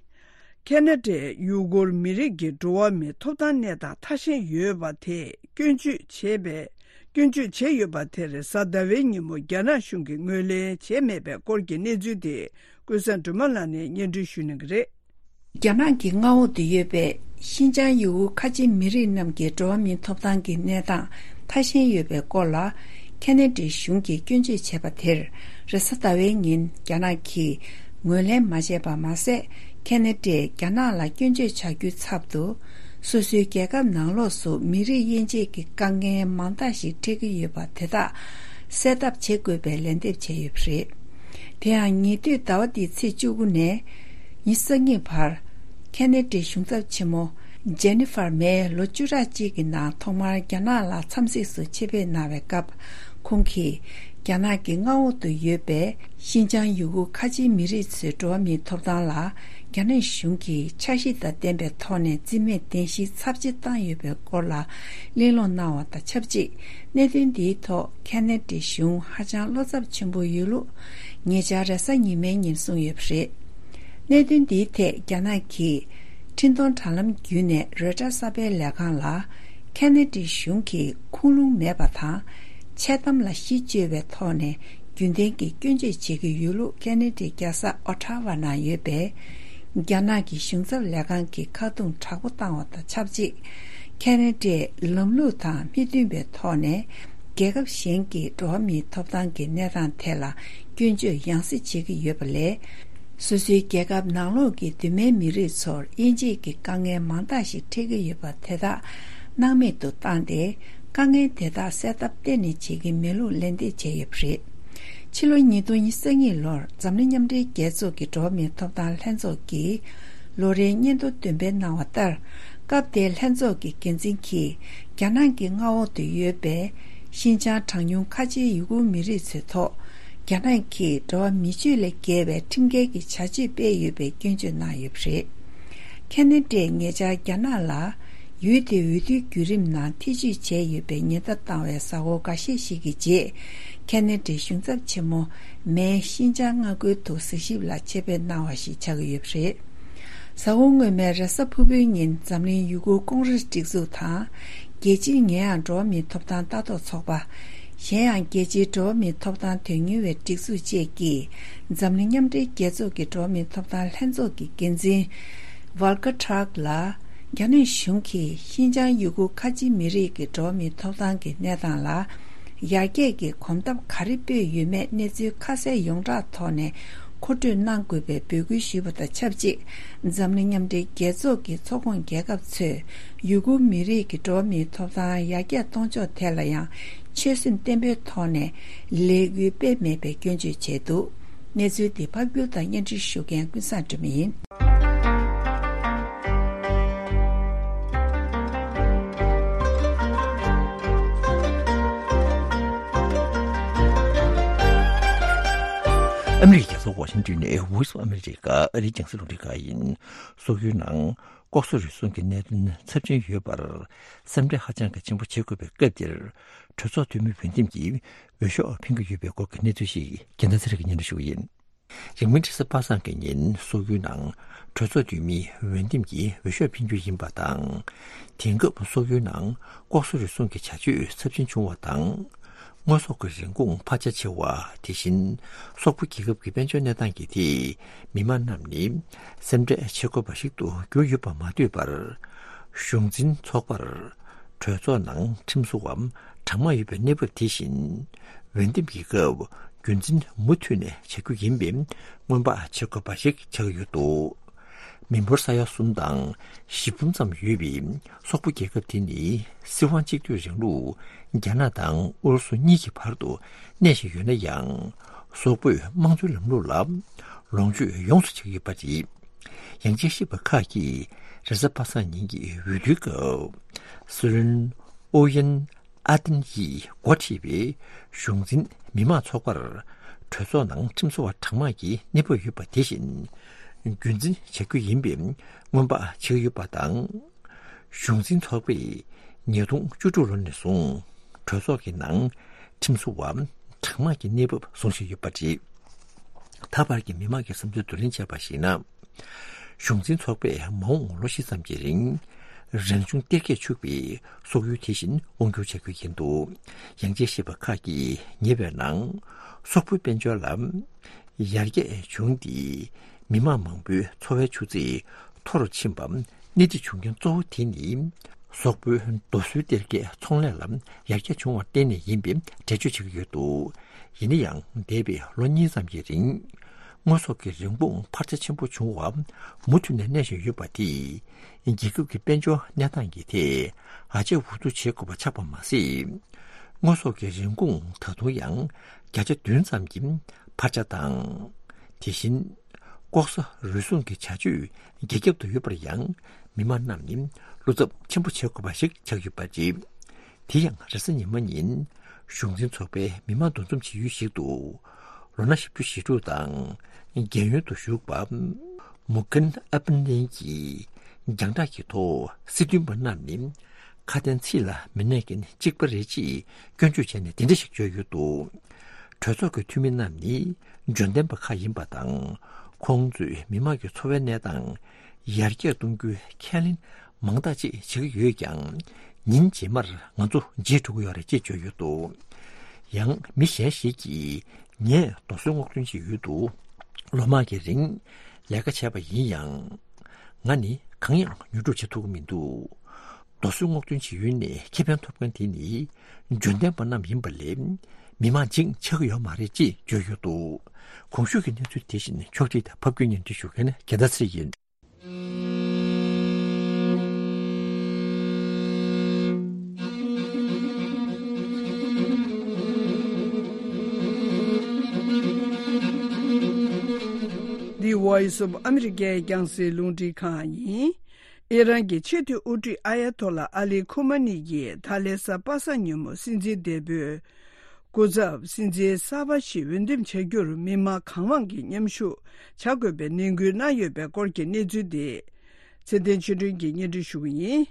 ཁེ་ན་ཌའི་ཡུ་གུར་མི་རིགས་ཀྱི་འགྲོ་བ་མིའི་ཐོབ་ཐང་གནས་སྟངས་ཐ་ཞན་ཡོད་པ་དེ་སྐྱོན་བརྗོད་བྱས་པའི་སྐྱོན་བརྗོད་བྱས་ཡོད་པ་དེར་གཟའ་ཟླ་བའི་ཉིན་མོ་རྒྱ་ནག་གཞུང་གིས་ངོས་ལེན་བྱས་མེད་པའི་སྐོར་གྱི་གནས་ཚུལ་དེ། ཀུན་བཟང་སྒྲོལ་མ་ལགས་ནས་སྙན་སྒྲོན་ཞུ་གནང་གི་རེད། རྒྱ་ནག་གི་མངའ་འོག་ཏུ་ཡོད་པའི་ཤིན་ཅང་ཡུ་གུར་ཁ་ཆེ་མི་རིགས་རྣམས་ཀྱི་འགྲོ་བ་མིའི་ཐོབ་ཐང་གི་གནས་སྟངས་ཐ་ཞན་ཡོད་པའི་སྐོར་ལ། ཁེ་ནེ་ཌི་གཞུང་གིས་སྐྱོན་བརྗོད་བྱས་པ་དེར། རེས་གཟའ་ཟླ་བའི་ཉིན་རྒྱ་ནག་གིས་ངོས་ལེན་མ་བྱས་པ་མ་ཟད། ཁེ་ནེ་ཌིས་རྒྱ་ནག་ལ་སྐྱོན་བརྗོད་བྱ་རྒྱུའི་ཚབ་ཏུ། སོ་སོའི་རྒྱལ་ཁབ་ནང་ལོགས་སུ་མི་རིགས་དབྱེ་འབྱེད་ཀྱི་དཀའ་ངལ་མང་དག་ཞིག་འཕྲད་ཀྱི་ཡོད་པ་དེ་དག་སེལ་ཐབས་བྱེད་དགོས་པའི་ལན་འདེབས་བྱས་ཡོད་པ་རེད། དེ་ཡང་ཉེ་དུས་ཟླ་བ་འདིའི་ཚེས་བཅུ་དགུ་ནས་ཉི་ཤུ་རྩ་གཉིས་བར། ཁེ་ནེ་ཌིའི་གཞུང་ཚབ་ཆེན་མོ་ཇེ་ནི་ཧྥར་མེ་ལོ་བཅུ་ཕྲག་གཅིག་གི་ནང་ཐོག་མར་རྒྱ་ནག་ལ་འཚམས་གཟིགས་སུ་ཆེད་ཕེབས་གནང་བའི་སྐབས། ཁོང་གིས་རྒྱ་ནག་གི་མངའ་འོག་ཏུ་ཡོད་པའི་ཤིན་ཅང་ཡུ་གུར་ཁ་ཆེའི་མི་རིགས་ཚོའི་འགྲོ་བ་མིའི་ཐོབ་ཐང་ལ། རྒྱ་ནག་གཞུང་གིས་འཆར་གཞི་དང་ལྡན་པའི་ཐོག་ནས་རྩིས་མེད་བདེན་བཞིའི་ཚབས་ཆེ་བཏང་ཡོད་པའི་སྐོར་ལ་གླེང་སློང་གནང་བ་དང་ཆབས་ཅིག་གནད་དོན་འདིའི་ཐོག་ཁེ་ནེ་ཌིའི་གཞུང་ཧ་ཅང་བློ་འཚབ་ཆེན་པོ་ཡོད་ལུགས། ཉེ་ཆར་རེས་གཟའ་ཉི་མའི་ཉིན་གསུངས་ཡོད་པ་རེད། གནད་དོན་འདིའི་ཐད་རྒྱ་ནག་གིས་འཕྲིན་གཏོང་དྲ་ལམ་བརྒྱུད་ནས་རོའི་ཊར་གསར་སྤེལ་ལས་ཁང་ལ། ཁེ་ནེ་ཌི་གཞུང་གིས་ཁུངས་ལུང་མེད་པ་དང་། འཆལ་གཏམ་ལ་གཞི་བཅོལ་བའི་ཐོག་ནས་རྒྱུན་ལྡན་གྱི་སྐྱོན་བརྗོད་བྱེད་ཀྱི་ཡོད་ལུགས་ཁེ་ནེ་ཌིའི་རྒྱལ་ས་ཨོ་ཊ་ཝ་ནང་ཡོད་པའི་རྒྱ་ནག་གི་གཞུང་ཚབ་ལས་ཁང་གིས་ཁ་རྡུང་དྲག་པོ་བཏང་བ་དང་ཆབས་ཅིག་ཁེ་ནེ་ཌིས་ལམ་ལུགས་དང་མི་མཐུན་པའི་ཐོག་ནས། རྒྱལ་ཁབ་གཞན་གྱི་འགྲོ་བ་མིའི་ཐོབ་ཐང་གི་གནས་སྟངས་ཐད་ལ་སྐྱོན་བརྗོད་ཡང་སེ་བྱེད་ཀྱི་ཡོད་པ་ལས། སོ་སོའི་རྒྱལ་ཁབ་ནང་ལོགས་ཀྱི་གདོད་མའི་མི་རིགས་ཚོར་དབྱེ་འབྱེད་ཀྱི་དཀའ་ངལ་མང་དག་ཞིག་འཕྲད་ཀྱི་ཡོད་པ་དེ་དག་སྣང་མེད་དུ་བཏང་སྟེ། དཀའ་ངལ་དེ་དག་སེལ་ཐབས་གཏན་ནས་བྱེད་ཀྱི་མེད་ལུགས་ལན་འདེབས་བྱས་ཡོད་པ་རེད། ཕྱི་ལོ་ཉིས་སྟོང་ཉི་ཤུ་རྩ་གཉིས་ལོར་འཛམ་གླིང་མཉམ་འབྲེལ་རྒྱལ་ཚོགས་ཀྱི་འགྲོ་བ་མིའི་ཐོབ་ཐང་ལྷན་ཚོགས་ཀྱིས། ལོ་རེའི་སྙན་ཐོ་འདོན་སྤེལ་གནང་བ་ལྟར། སྐབས་དེའི་ལྷན་ཚོགས་ཀྱི་འགན་འཛིན་གྱིས། རྒྱ་ནག་གི་མངའ་འོག་ཏུ་ཡོད་པའི་ཤིན་ཅང་གྲངས་ཉུང་ཁ་ཆེའི་ཡུ་གུར་མི་རིགས་ཚོའི་ཐོག་རྒྱ་ནག་གིས་འགྲོ་བ་མི་སྤྱོད་ལས་བརྒལ་བའི་ཁྲིམས་འགལ་གྱི་བྱ་སྤྱོད་སྤེལ་ཡོད་པའི་སྐྱོན་བརྗོད་གནང་ཡོད་པ་རེད། ཁེ་ནེ་ཌིས་ཉེ་ཆར་རྒྱ་ནག་ལ། ཡུལ་དེའི་འོས་བསྡུའི་བརྒྱུད་རིམ་ནང་ཐེ་བྱུས་བྱས་ཡོད་པའི་ཉེན་བརྡ་བཏང་བའི་གཟའ་འཁོར་འགའ་ཤས་ཤིག་གི་རྗེས། ཁེ་ནེ་ཌིའི་གཞུང་ཚབ་ཆེན་མོ་མེས་ཤིན་ཅང་མངའ་ཁུལ་དུ་གཟིགས་ཞིབ་ལ་ཆེད་ཕེབས་གནང་བ་ཞིག་ཆགས་ཀྱི་ཡོད་པ་རེད། གཟའ་འཁོར་སྔོན་མའི་རེས་གཟའ་ཕུར་བུའི་ཉིན་འཛམ་གླིང་ཡུ་གུར་ཀོང་རེས་སྒྲིག་འཛུགས་དང་། རྒྱལ་སྤྱིའི་ཉེ་ཡངས་འགྲོ་བ་མིའི་ཐོབ་ཐང་ལྟ་རྟོག་ཚོགས་པ། གཞན་ཡང་རྒྱལ་སྤྱིའི་འགྲོ་བ་མིའི་ཐོབ་ཐང་དོན་གཉེར་བའི་སྒྲིག་འཛུགས་བཅས་ཀྱིས། འཛམ་གླིང་མཉམ་འབྲེལ་རྒྱལ་ཚོགས་ཀྱི་འགྲོ་བ་མིའི་ཐོབ་ཐང་ལྷན་ཚོགས་ཀྱི་འགན་འཛིན། ཝལ་ཀ་ཊརཀ་ལ། རྒྱ་ནག་གཞུང་གིས་ཤིན་ཅང་ཡུ་གུར་ཁ་ཆེའི་མི་རིགས་ཀྱི་འགྲོ་བ་མིའི་ཐོབ་ཐང་གི་གནས་སྟངས་ལ། ཡར་རྒྱས་ཀྱི་གོམ་སྟབས་ག་རེ་སྤོས་ཡོད་མེད་གནས་ཚུལ་ཁ་གསལ་ཡོངས་གྲགས་ཐོག་ནས་མཁོ་སྤྲོད་གནང་དགོས་པའི་འབོད་སྐུལ་ཞུས་པ་དང་ཆབས་ཅིག་འཛམ་གླིང་མཉམ་འབྲེལ་རྒྱལ་ཚོགས་ཀྱི་ཚོགས་ཁོངས་རྒྱལ་ཁབ་ཚོས་ཡུ་གུར་མི་རིགས་ཀྱི་འགྲོ་བ་མིའི་ཐོབ་ཐང་ཡར་རྒྱས་གཏོང་ཕྱོགས་ཐད་ལ་ཡང་ཆོད་སེམས་བརྟན་པོའི་ཐོག་ནས་ལས་འགུལ་སྤེལ་མེད་པའི་སྐྱོན་བརྗོད་བྱས་འདུག་གནས་ཚུལ་འདི་ཕབ་སྒྱུར་དང་སྙན་སྒྲོན་ཞུ་མཁན་ཀུན་བཟང་སྒྲོལ་མ་ཡིན། ཨ་མི་རི་ཀའི་རྒྱལ་ས་ཝ་ཤིང་ཏོན་ནས་Voice of America ཨ་རིའི་རྒྱང་སྲིང་རླུང་འཕྲིན་ཁང་ཡིན། སོག་ཡུལ་ནང་ལྐོག་ཟ་རུལ་སུངས་ཀྱི་གནད་དོན་ཚབས་ཆེན་ཡོད་པར་སེམས་ཁྲལ་ཧ་ཅང་གི་ཆེན་པོ་བྱེད་དགོས་པའི་སྐབས་འདིར། གྲོས་ཚོགས་འཐུས་མི་འོས་འདེམས་ཀྱིས་འོས་ཤོག་འཕེན་གྱི་ཡོད་པའི་སྐོར་གྱི་གནས་ཚུལ་ཞིག་རྒྱལ་མཚན་ཚེ་རིང་གིས་སྙན་སྒྲོན་ཞུ་གི་ཡིན། རིང་མིན་རེས་གཟའ་པ་སངས་ཀྱི་ཉིན་སོག་ཡུལ་ནང་གྲོས་ཚོགས་འཐུས་མིའི་འོས་འདེམས་ཀྱིས་འོས་ཤོག་འཕེན་རྒྱུ་ཡིན་པ་དང་། དེང་སྐབས་སོག་ཡུལ་ནང་ལྐོག་ཟ་རུལ་སུངས་ཀྱི་བྱ་སྤྱོད་ཚབས་ཆེན་བྱུང་བ་དང་། དངོས་ཟོག་གི་རིན་གོང་འཕར་ཆ་ཆེ་བ། དེ་བཞིན་སོག་པོ་རྒྱལ་ཁབ་ཀྱི་དཔལ་འབྱོར་གནས་སྟངས་ཀྱི་ཐད་མི་མང་རྣམས་ནི་སེམས་ཁྲལ་བྱེད་དགོས་པ་ཞིག་ཏུ་གྱུར་ཡོད་པ་མ་ལྟོས་པར། གཞུང་འཛིན་ཚོགས་པར་གྲོས་ཚོགས་ནང་ཁྲིམས་བཟོ་བ་གྲངས་མང་ཡོད་པའི་གནས་བབ་དེ་བཞིན། འོས་འདེམས་ཀྱི་སྐབས་རྒྱུན་འཛིན་མུ་མཐུད་ནས་བྱ་རྒྱུ་ཡིན་པའི་སྔོན་དཔག་བྱེད་དགོས་པ་ཞིག་ཆགས་ཡོད་འདུག་མི་འབོར་ས་ཡ་གསུམ་དང་བཞི་འབུམ་ཙམ་ཡོད་པའི་སོག་པོ་རྒྱལ་ཁབ་དེ་ནི་སྲིད་དབང་གཅིག་སྡུད་རིང་ལུགས་རྒྱ་ནག་དང་ཨུ་རུ་སུ་གཉིས་ཀྱི་བར་དུ་གནས་བཞིན་ཡོད་ན་ཡང་། སོག་པོས་དམངས་གཙོའི་ལམ་ལུགས་ལ་ལོངས་སྤྱོད་ཡོངས་སུ་བྱེད་ཀྱི་ཡོད་པ་རེད། ཡང་དཔྱད་ཞིབ་པ་ཁག་གིས་རེས་གཟའ་པ་སངས་ཉིན་གྱི་འོས་བསྡུའི་སྐབས། སྲིད་བློན་ཨུ་ཡན་ཨ་ཏིན་ཡིས་འགོ་ཁྲིད་པའི་གཞུང་འཛིན་མི་མང་ཚོགས་པར་གྲོས་ཚོགས་ནང་ཁྲིམས་བཟོ་བ་གྲངས་མང་གི་གནས་བབ་ཡོད་པ་དེ་བཞིན་རྒྱུན་འཛིན་བྱ་རྒྱུ་ཡིན་པའི་སྔོན་དཔག་བྱེད་ཀྱི་ཡོད་པ་དང་། གཞུང་འཛིན་ཚོགས་པས་ཉིས་སྟོང་བཅུ་དྲུག་ལོ་ནས་བཟུང་གྲོས་ཚོགས་ཀྱི་ནང་ཁྲིམས་བཟོ་བ་གྲངས་མང་གི་གནས་བབ་བཟུང་བཞིན་ཡོད་པ་རེད། ད་བར་གྱི་མི་མང་གི་བསམ་ཚུལ་བསྡུ་ལེན་བྱས་པར་གཞིགས་ན། གཞུང་འཛིན་ཚོགས་པས་མ་འོངས་ལོ་བཞི་ཙམ་གྱི་རིང་རང་བྱུང་གཏེར་ཁས་ཕྱུག་པའི་སོག་ཡུལ་དེ་བཞིན་དབང་བསྒྱུར་བྱ་རྒྱུ་ཡིན་འདུག་ཡང་དཔྱད་ཞིབ་པ་ཁག་གིས་ཉེ་བའི་ནང་སོག་པོའི་དཔལ་འབྱོར་ལ་ཡར་རྒྱས་བྱུང་སྟེ་མི་མང་མང་པོའི་འཚོ་བའི་ཆུ་ཚད་མཐོ་རུ་ཕྱིན་པ། གནད་འགག་བྱུང་རྐྱེན་གཙོ་བོ་དེ་ནི་ སོག་པོའི་རྡོ་སོལ་གཏེར་ཁའི་ཚོང་ལས་ལ་ཡར་རྒྱས་བྱུང་བར་བརྟེན་ནས་ཡིན་པའི་འགྲེལ་བརྗོད་བྱེད་ཀྱི་ཡོད་འདུག། ཡིན་ན་ཡང་འདས་པའི་ལོ་གཉིས་ཙམ་གྱི་རིང་དངོས་ཟོག་གི་རིན་གོང་འཕར་ཆ་ཆེན་པོ་བྱུང་བ་མུ་མཐུད་ནས་གནས་བཞིན་ཡོད་པ་དེས་རྒྱལ་ཁབ་ཀྱི་དཔལ་འབྱོར་གནས་སྟངས་ཀྱི་ཐད་ཨ་ཅེ་འུ་ཐུག་བྱེད་དགོས་པ་ཆགས་པ་མ་ཟད། དངོས་ཟོག་གི་རིན་གོང་ད་དུང་ཡང་བརྒྱ་ཆ་བདུན་ཙམ་གྱི་འཕར་ཆ་དང་། དེ་བཞིན་ལྐོག་ཟ་རུལ་སུངས་ཀྱི་བྱ་སྤྱོད་རྒྱ་ཁྱབ་ཏུ་ཡོད་པར་ཡང་མི་མང་རྣམས་ནི་བློ་འཚབ་ཆེན་པོ་བྱེད་དགོས་པ་ཞིག་ཆགས་ཡོད་པ་རེད། དེ་ཡང་རེས་གཟའ་ཉི་མ་ཉིན་གཞུང་འཛིན་ཚོགས་པའི་མི་མང་འདུ་འཛོམས་བྱེད་ཡུལ་ཞིག་ཏུ་ལོ་ན་བཞི་བཅུ་ཞེ་དྲུག་དང་རྒན་ཡོལ་དུ་བཞུགས་པ་མུ་ཁན་ཨ་པན་ལིན་གྱིས་རྒྱང་བསྒྲགས་ཀྱི་ཐོག་སྲིད་དོན་པ་རྣམས་ནི་ཁ་དན་ཚིག་ལ་མི་གནས་མཁན་གཅིག་པ་རེད་ཅེས་སྐྱོན་བརྗོད་བྱས་ནས་དེ་འདྲ་ཞིག་བརྗོད་ཡོད་འདུག། གྲོས་ཚོགས་ཀྱི་འཐུས་མི་རྣམས་ནི་འབྱོར་ལྡན་པ་ཁག་ཡིན་པ་དང་། ཁོང་ཚོས་མི་དམངས་ཀྱི་འཚོ་བའི་གནས་སྟངས་ཡར་རྒྱས་གཏོང་རྒྱུའི་ཁས་ལེན་མང་དག་ཅིག་བྱེད་ཀྱི་ཡོད་ཀྱང་། ཉིན་རྗེས་མར་ང་ཚོ་བརྗེད་འགྲོ་གི་ཡོད་རེད་ཅེས་བརྗོད་ཡོད་འདུག། ཡང་མི་གཞན་ཞིག་གིས་ངས་རྡོ་སོལ་སྔོག་འདོན་བྱེད་ཡུལ་དུ་ལོ་མང་གི་རིང་ལས་ཀ་བྱས་པ་ཡིན་ཡང་། ང་ནི་གང་ཡང་ཉོ་སྒྲུབ་བྱེད་ཐུབ་ཀྱི་མི་འདུག། རྡོ་སོལ་སྔོག་འདོན་བྱེད་ཡུལ་ནས་ཁེ་ཕན་ཐོབ་མཁན་དེ་ནི་འབྱོར་ལྡན་པ་རྣམས་ཡིན་པ་ལས་མི་མང་ཅིག་ཆགས་ཀྱི་ཡོད་མ་རེད་ཅེས་བརྗོད་ཡོད་འདུག། གོང་ཞུས་ཀྱི་གནས་ཚུལ་དེ་བཞིན་ཕྱོགས་སྒྲིག་དང་ཕབ་སྒྱུར་སྙན་སྒྲོན་ཞུ་མཁན་རྒྱལ་མཚན་ཚེ་རིང་ཡིན། འདི་Voice of America རྒྱང་སྲིང་རླུང་འཕྲིན་ཁང་ཡིན། ཨི་རན་གྱི་ཆེས་མཐོའི་དབུ་ཁྲིད་ཨ་ཡ་ཐོ་ལ་ཨ་ལི་ཁོ་མ་ནི་ཡིས་ད་ལན་གཟའ་པ་སངས་ཉིན་མོ་སྲིད་འཛིན་འདས་པོའི་སྐུ་ཚབ་སྲིད་འཛིན་གསར་པ་ཞིག་འོས་འདེམས་བྱ་རྒྱུར་མི་མང་གང་མང་གིས་མཉམ་ཞུགས་བྱ་དགོས་པའི་ནན་སྐུལ་གནང་ཡོད་པའི་སྐོར་གྱི་གནས་ཚུལ་དེ་ཚེ་བརྟན་ཆོས་སྒྲོན་གྱིས་སྙན་སྒྲོན་ཞུ་གི་ཡིན།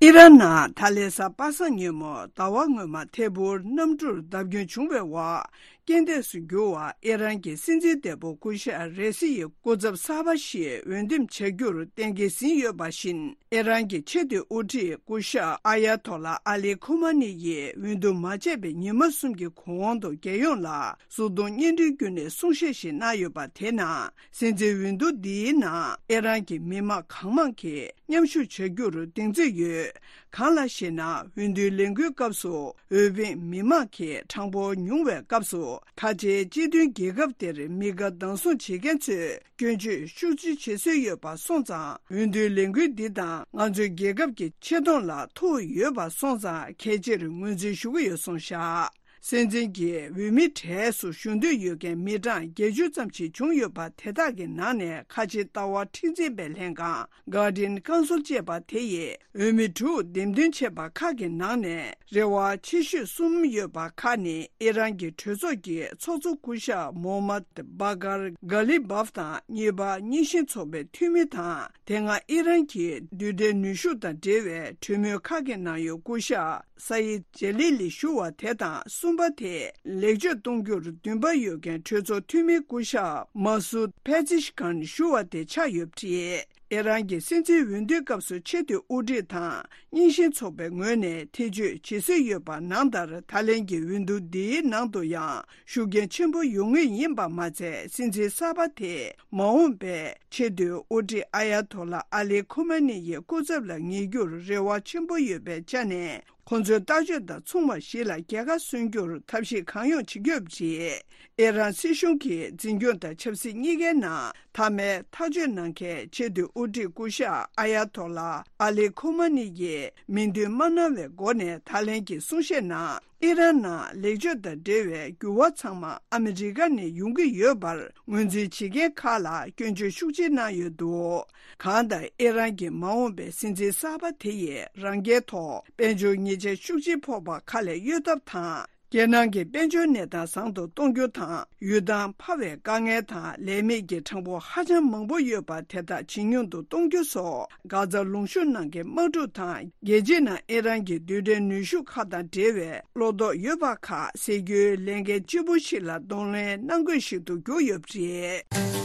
ཨི་རན་ནང་ད་ལན་གཟའ་པ་སངས་ཉིན་མོ་ཟླ་བ་སྔོན་མ་ཐད་འཕུར་གནམ་གྲུར་བརྡབ་སྐྱོན་བྱུང་བའི་འོག་རྐྱེན་འདས་སུ་གྱུར་བ་ཨི་རན་གྱི་སྲིད་འཛིན་འདས་པོ་སྐུ་ཞབས་རེ་སི་ཡི་སྐུ་ཚབ་གསར་པ་ཞིག་འོས་འདེམས་བྱ་རྒྱུར་གཏན་འཁེལ་ཟིན་ཡོད་པ་བཞིན། ཨི་རན་གྱི་ཆེས་མཐོའི་དབུ་ཁྲིད་སྐུ་ཞབས་ཨ་ཡ་ཐོ་ལ་ཨ་ལི་ཁོ་མ་ནི་ཡིས་འོས་བསྡུ་མ་བྱས་པའི་ཉི་མ་གསུམ་གྱི་གོང་དུ་རྒྱལ་ཡོངས་ལ་གཟུགས་མཐོང་བརྙན་འཕྲིན་བརྒྱུད་ནས་གསུང་བཤད་ཞིག་གནང་ཡོད་པ་དེ་ནང་། སྲིད་འཛིན་འོས་བསྡུ་འདིའི་ནང་ཨི་རན་གྱི་མི་མང་གང་མང་གིས་མཉམ་ཞུགས་བྱ་རྒྱུར་གདེང་ཚོད་ཡོད། གང་ལགས་ཤེ་ན། འོས་བསྡུའི་ལས་འགུལ་སྐབས་སུ་འོས་འཕེན་མི་མང་གིས་གྲངས་འབོར་ཉུང་བའི་སྐབས་སུ། ཁ་ཆེའི་སྤྱི་མཐུན་རྒྱལ་ཁབ་དེར་མི་དགའ་སྡང་ཟུང་བྱེད་མཁན་ཚོས་སྐྱོན་བརྗོད་ཤུགས་ཆེ་བྱེད་སྲོལ་ཡོད་པ་སོང་ཙང་། འོས་བསྡུའི་ལས་འགུལ་འདི་དང་ང་ཚོའི་རྒྱལ་ཁབ་ཀྱི་ཆེ་མཐོང་ལ་ཐུག་ཡོད་པ་སོང་ཙང་། གལ་ཆེར་ངོས་འཛིན་ཞུ་གི་ཡོད་གསུངས་བཞག། སྲིད་འཛིན་གྱི་འོས་མི་གྲས་སུ་ཞུགས་འདོད་ཡོད་མཁན་མི་གྲངས་བརྒྱད་ཅུ་ཙམ་ཞིག་བྱུང་ཡོད་པ། དེ་དག་གི་ནང་ནས་ཁ་ཆེའི་ལྟ་བ་མཁྲེགས་འཛིན་པའི་ལྷན་ཁང་Guardian Council ཅེས་པ་དེ་ཡིས་འོས་མི་དྲུག་འདེམས་ཐོན་བྱས་པ་ཁག་གི་ནང་ནས་རེ་བ་ཆེ་ཤོས་གསུམ་ཡོད་པ་ཁག་ནི། ཨི་རན་གྱི་གྲོས་ཚོགས་ཀྱི་ཚོགས་གཙོ་སྐུ་ཞབས་མོ་མད་བྷ་གར་གྷ་ལི་བྷབ་དང་། གཉིས་པ་རྙིང་ཞེན་ཚོགས་པའི་འཐུས་མི་དང་། དེ་སྔ་ཨི་རན་གྱི་རྡུལ་ཕྲན་ནུས་ཤུགས་དང་འབྲེལ་བའི་གྲོས་མོལ་ཁག་གི་ནང་ཡོད་སྐུ་ཞབས་ས་ཡིད་ཇེ་ལི་ལི་ཞུ་བ་དེ་དང་། གསུམ་པ་དེ་ལེགས་བཅོས་གཏོང་རྒྱུར་འདུན་པ་ཡོད་མཁན་གྲོས་ཚོགས་འཐུས་མི་སྐུ་ཞབས་མ་སུད་ཕེ་ཛི་ཤི་ཁན་ཞུ་བ་དེ་ཆགས་ཡོད་པ་རེད། ཨི་རན་གྱི་སྲིད་འཛིན་འོས་བསྡུའི་སྐབས་སུ་ཆེས་མཐོའི་དབུ་ཁྲིད་དང་རྙིང་ཞེན་ཚོགས་པའི་ངོས་ནས་ཐེ་བྱུས་བྱེད་སྲོལ་ཡོད་པ་ནང་ལྟར། ད་ལན་གྱི་འོས་བསྡུ་འདིའི་ནང་དུ་ཡང་ཤུགས་རྐྱེན་ཆེན་པོ་ཡོང་ངེས་ཡིན་པ་མ་ཚད། སྲིད་འཛིན་གསར་པ་དེས་མ་འོངས་པའི་ཆེས་མཐོའི་དབུ་ཁྲིད་ཨ་ཡ་ཐོ་ལ་ཨ་ལི་ཁོ་མ་ནི་ཡི་སྐུ་ཚབ་ལ་ངེས་རྒྱུར་རེ་བ་ཆེན་པོ་ཡོད་པའི་ཆ་ནས། ཁོང་ཚོའི་ལྟ་སྤྱོད་དང་མཚུངས་པ་ཞིག་ལ་རྒྱལ་ཁ་སོན་རྒྱུར་ཐབས་ཤེས་གང་ཡོང་བྱེད་ཀྱི་ཡོད་པ་རེད། ཨི་རན་སྲིད་གཞུང་གི་འཛིན་སྐྱོང་དང་ཆབ་སྲིད་གཉིས་ཀའི་ནང་མཐའ་མའི་ཐག་གཅོད་གནང་མཁན་ཆེས་མཐོའི་དབུ་ཁྲིད་སྐུ་ཞབས་ཨ་ཡ་ཐོ་ལ་ཨ་ལི་ཁོ་མ་ནི་ཡིས་མིང་འདོན་མ་གནང་བའི་སྒོ་ནས་ད་ལན་གྱི་གསུང་བཤད་ནང་། ཨི་རན་ནང་ལེགས་བཅོས་དང་འབྲེལ་བའི་འགྱུར་བ་ཚང་མ་ཨ་མི་རི་ཀ་ནས་ཡོང་གི་ཡོད་པར་ངོས་འཛིན་བྱེད་མཁན་ཁག་ལ་སྐྱོན་བརྗོད་ཤུགས་ཆེ་གནང་ཡོད་འདུག། གང་ལྟར་ཨི་རན་གྱི་མ་འོངས་པའི་སྲིད་འཛིན་གསར་པ་དེ་ཡིས་རང་རྒྱལ་ཐོག་དཔལ་འབྱོར་ཉེས་ཆད་ཤུགས་ཆེ་ཕོག་པ་ཁ་ལས་གཡོལ་ཐབས་དང་། རྒྱལ་ནང་གི་དཔལ་འབྱོར་གནས་སྟངས་བཟང་དུ་གཏོང་རྒྱུ་དང་། ཡུལ་ཐང་འཕར་བའི་དཀའ་ངལ་དང་ལས་མེད་ཀྱི་གྲངས་འབོར་ཧ་ཅང་མང་པོ་ཡོད་པ་དེ་དག་ཇེ་ཉུང་དུ་གཏོང་རྒྱུ་སོགས། གྷ་ཛ་ལུང་གཤོང་ནང་གི་དམག་འཁྲུག་དང་། རྒྱལ་སྤྱིའི་ནང་ཨི་རན་གྱི་རྡུལ་ཕྲན་ནུས་ཤུགས་ཁག་དང་འབྲེལ་བའི་བློ་དོགས་ཡོད་པ་ཁག་སེལ་རྒྱུའི་ལས་འགན་ལྗིད་པོ་ཞིག་ལ་གདོང་ལེན་གནང་དགོས་ཤིག་ཏུ་གྱུར་ཡོད་པ་རེད།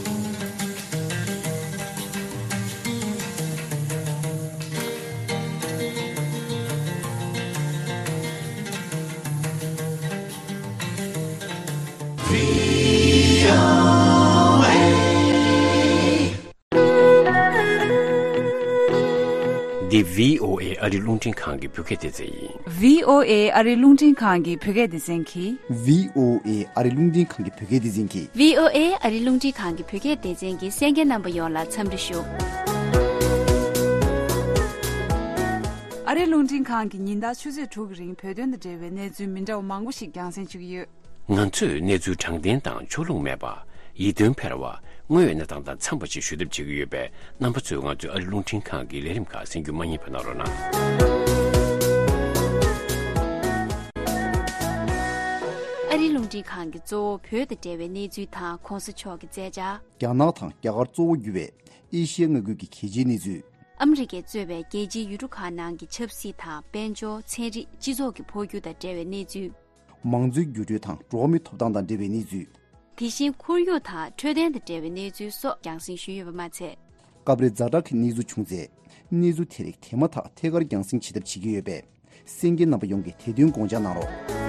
འདི་བྷི་ཨོ་ཨེ་ཨ་རི་རླུང་འཕྲིན་ཁང་གི་བོད་སྐད་སྡེ་ཚན་ཡིན། བྷི་ཨོ་ཨེ་ཨ་རི་རླུང་འཕྲིན་ཁང་གི་བོད་སྐད་སྡེ་ཚན་གྱིས། བྷི་ཨོ་ཨེ་ཨ་རི་རླུང་འཕྲིན་ཁང་གི་བོད་སྐད་སྡེ་ཚན་གྱིས། བྷི་ཨོ་ཨེ་ཨ་རི་རླུང་འཕྲིན་ཁང་གི་བོད་སྐད་སྡེ་ཚན་གྱི་གསན་མཁན་རྣམ་པ་ཡོངས་ལ་འཚམས་འདྲི་ཞུ། ཨ་རི་རླུང་འཕྲིན་ཁང་གིས་ཉིན་ལྟར་ཆུ་ཚོད་དྲུག་གི་རིང་བོད་དོན་དང་འབྲེལ་བའི་གནས་ཚུལ་མི་འདྲ་བ་མང་པོ་ཞིག་རྒྱང་སྲིང་ཞུ་གི་ཡོད། ང་ཚོས་གནས་ཚུལ་དྲང་བདེན་དང་ཕྱོགས་ལྷུང་མེད་པ། ཡིད་རྟོན་འཕེར་བ། དངོས་ཡོད་གནས་སྟངས་དང་འཚམས་པ་ཞིག་ཞུ་ཐབས་བྱེད་ཀྱི་ཡོད་པས། རྣམ་པ་ཚོས་ང་ཚོའི་ཨ་རི་རླུང་འཕྲིན་ཁང་གི་ལས་རིམ་ཁག་གསན་རྒྱུ་མ་བསྙེལ་བ་གནང་རོགས་གནང་། ཨ་རི་རླུང་འཕྲིན་ཁང་གིས་གཙོ་བོ་བོད་དང་འབྲེལ་བའི་གནས་ཚུལ་དང་གོང་ས་མཆོག་གི་མཛད་འཆར། རྒྱ་ནག་དང་རྒྱ་གར་གཙོ་བོ་གྱུར་བའི་ཨེ་ཤི་ཡ་མངའ་ཁུལ་གྱི་གལ་ཆེའི་གནས་ཚུལ། ཨ་མི་རི་ཀས་གཙོས་པའི་རྒྱལ་སྤྱིའི་ཡུལ་གྲུ་ཁག་ནང་གི་ཆབ་སྲིད་དང་། དཔལ་འབྱོར། ཚན་རིག་སྤྱི་ཚོགས་ཀྱི་འཕོ་འགྱུར་དང་འབྲེལ་བའི་གནས་ཚུལ། མང་གཙོའི་འགྱུར་འགྲོས་དང་འགྲོ་བ་མིའི་ཐོབ་ཐང་དང་འབྲེལ་བའི་གནས་ཚུལ། དེ་བཞིན་ཁོར་ཡུག་དང་འཕྲོད་བསྟེན་དང་འབྲེལ་བའི་གནས་ཚུལ་སོགས་རྒྱང་སྲིང་ཞུས་ཡོད་པ་མ་ཚད། སྐབས་རེ་ཛ་དྲག་གི་གནས་ཚུལ་བྱུང་ཚེ། གནས་ཚུལ་དེ་རིགས་དེ་མ་ཐག་ཐད་ཀར་རྒྱང་སྲིང་བྱེད་ཐབས་བྱེད་ཀྱི་ཡོད་པས། གསན་མཁན་རྣམ་པ་ཡོངས་ཀྱིས་དེ་དོན་དགོངས་འཇགས་གནང་རོགས།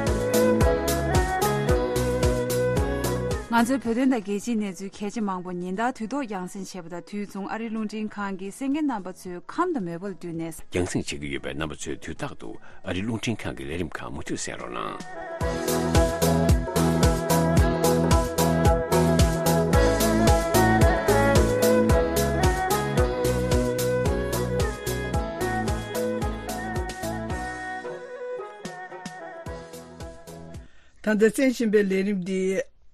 ང་ཚོའི་བོད་དོན་དང་རྒྱལ་སྤྱིའི་གནས་ཚུལ་གལ་ཆེ་མང་པོ་ཉིན་ལྟར་དུས་ཐོག་རྒྱང་སྲིང་བྱེད་པ་དང་། དུས་མཚུངས་ཨ་རིའི་རླུང་འཕྲིན་ཁང་གིས་གསན་མཁན་རྣམ་པ་ཚོའི་ཁམས་དང་མོས་པ་ལ་བསྟུན་ནས། རྒྱང་སྲིང་བྱེད་ཀྱི་ཡོད་པས། རྣམ་པ་ཚོས་དུས་རྟག་ཏུ་ཨ་རིའི་རླུང་འཕྲིན་ཁང་གི་ལས་རིམ་ཁག་མུ་མཐུད་གསན་རོགས་གནང་། ད་ལྟ་གསན་བཞིན་པའི་ལས་རིམ་འདི་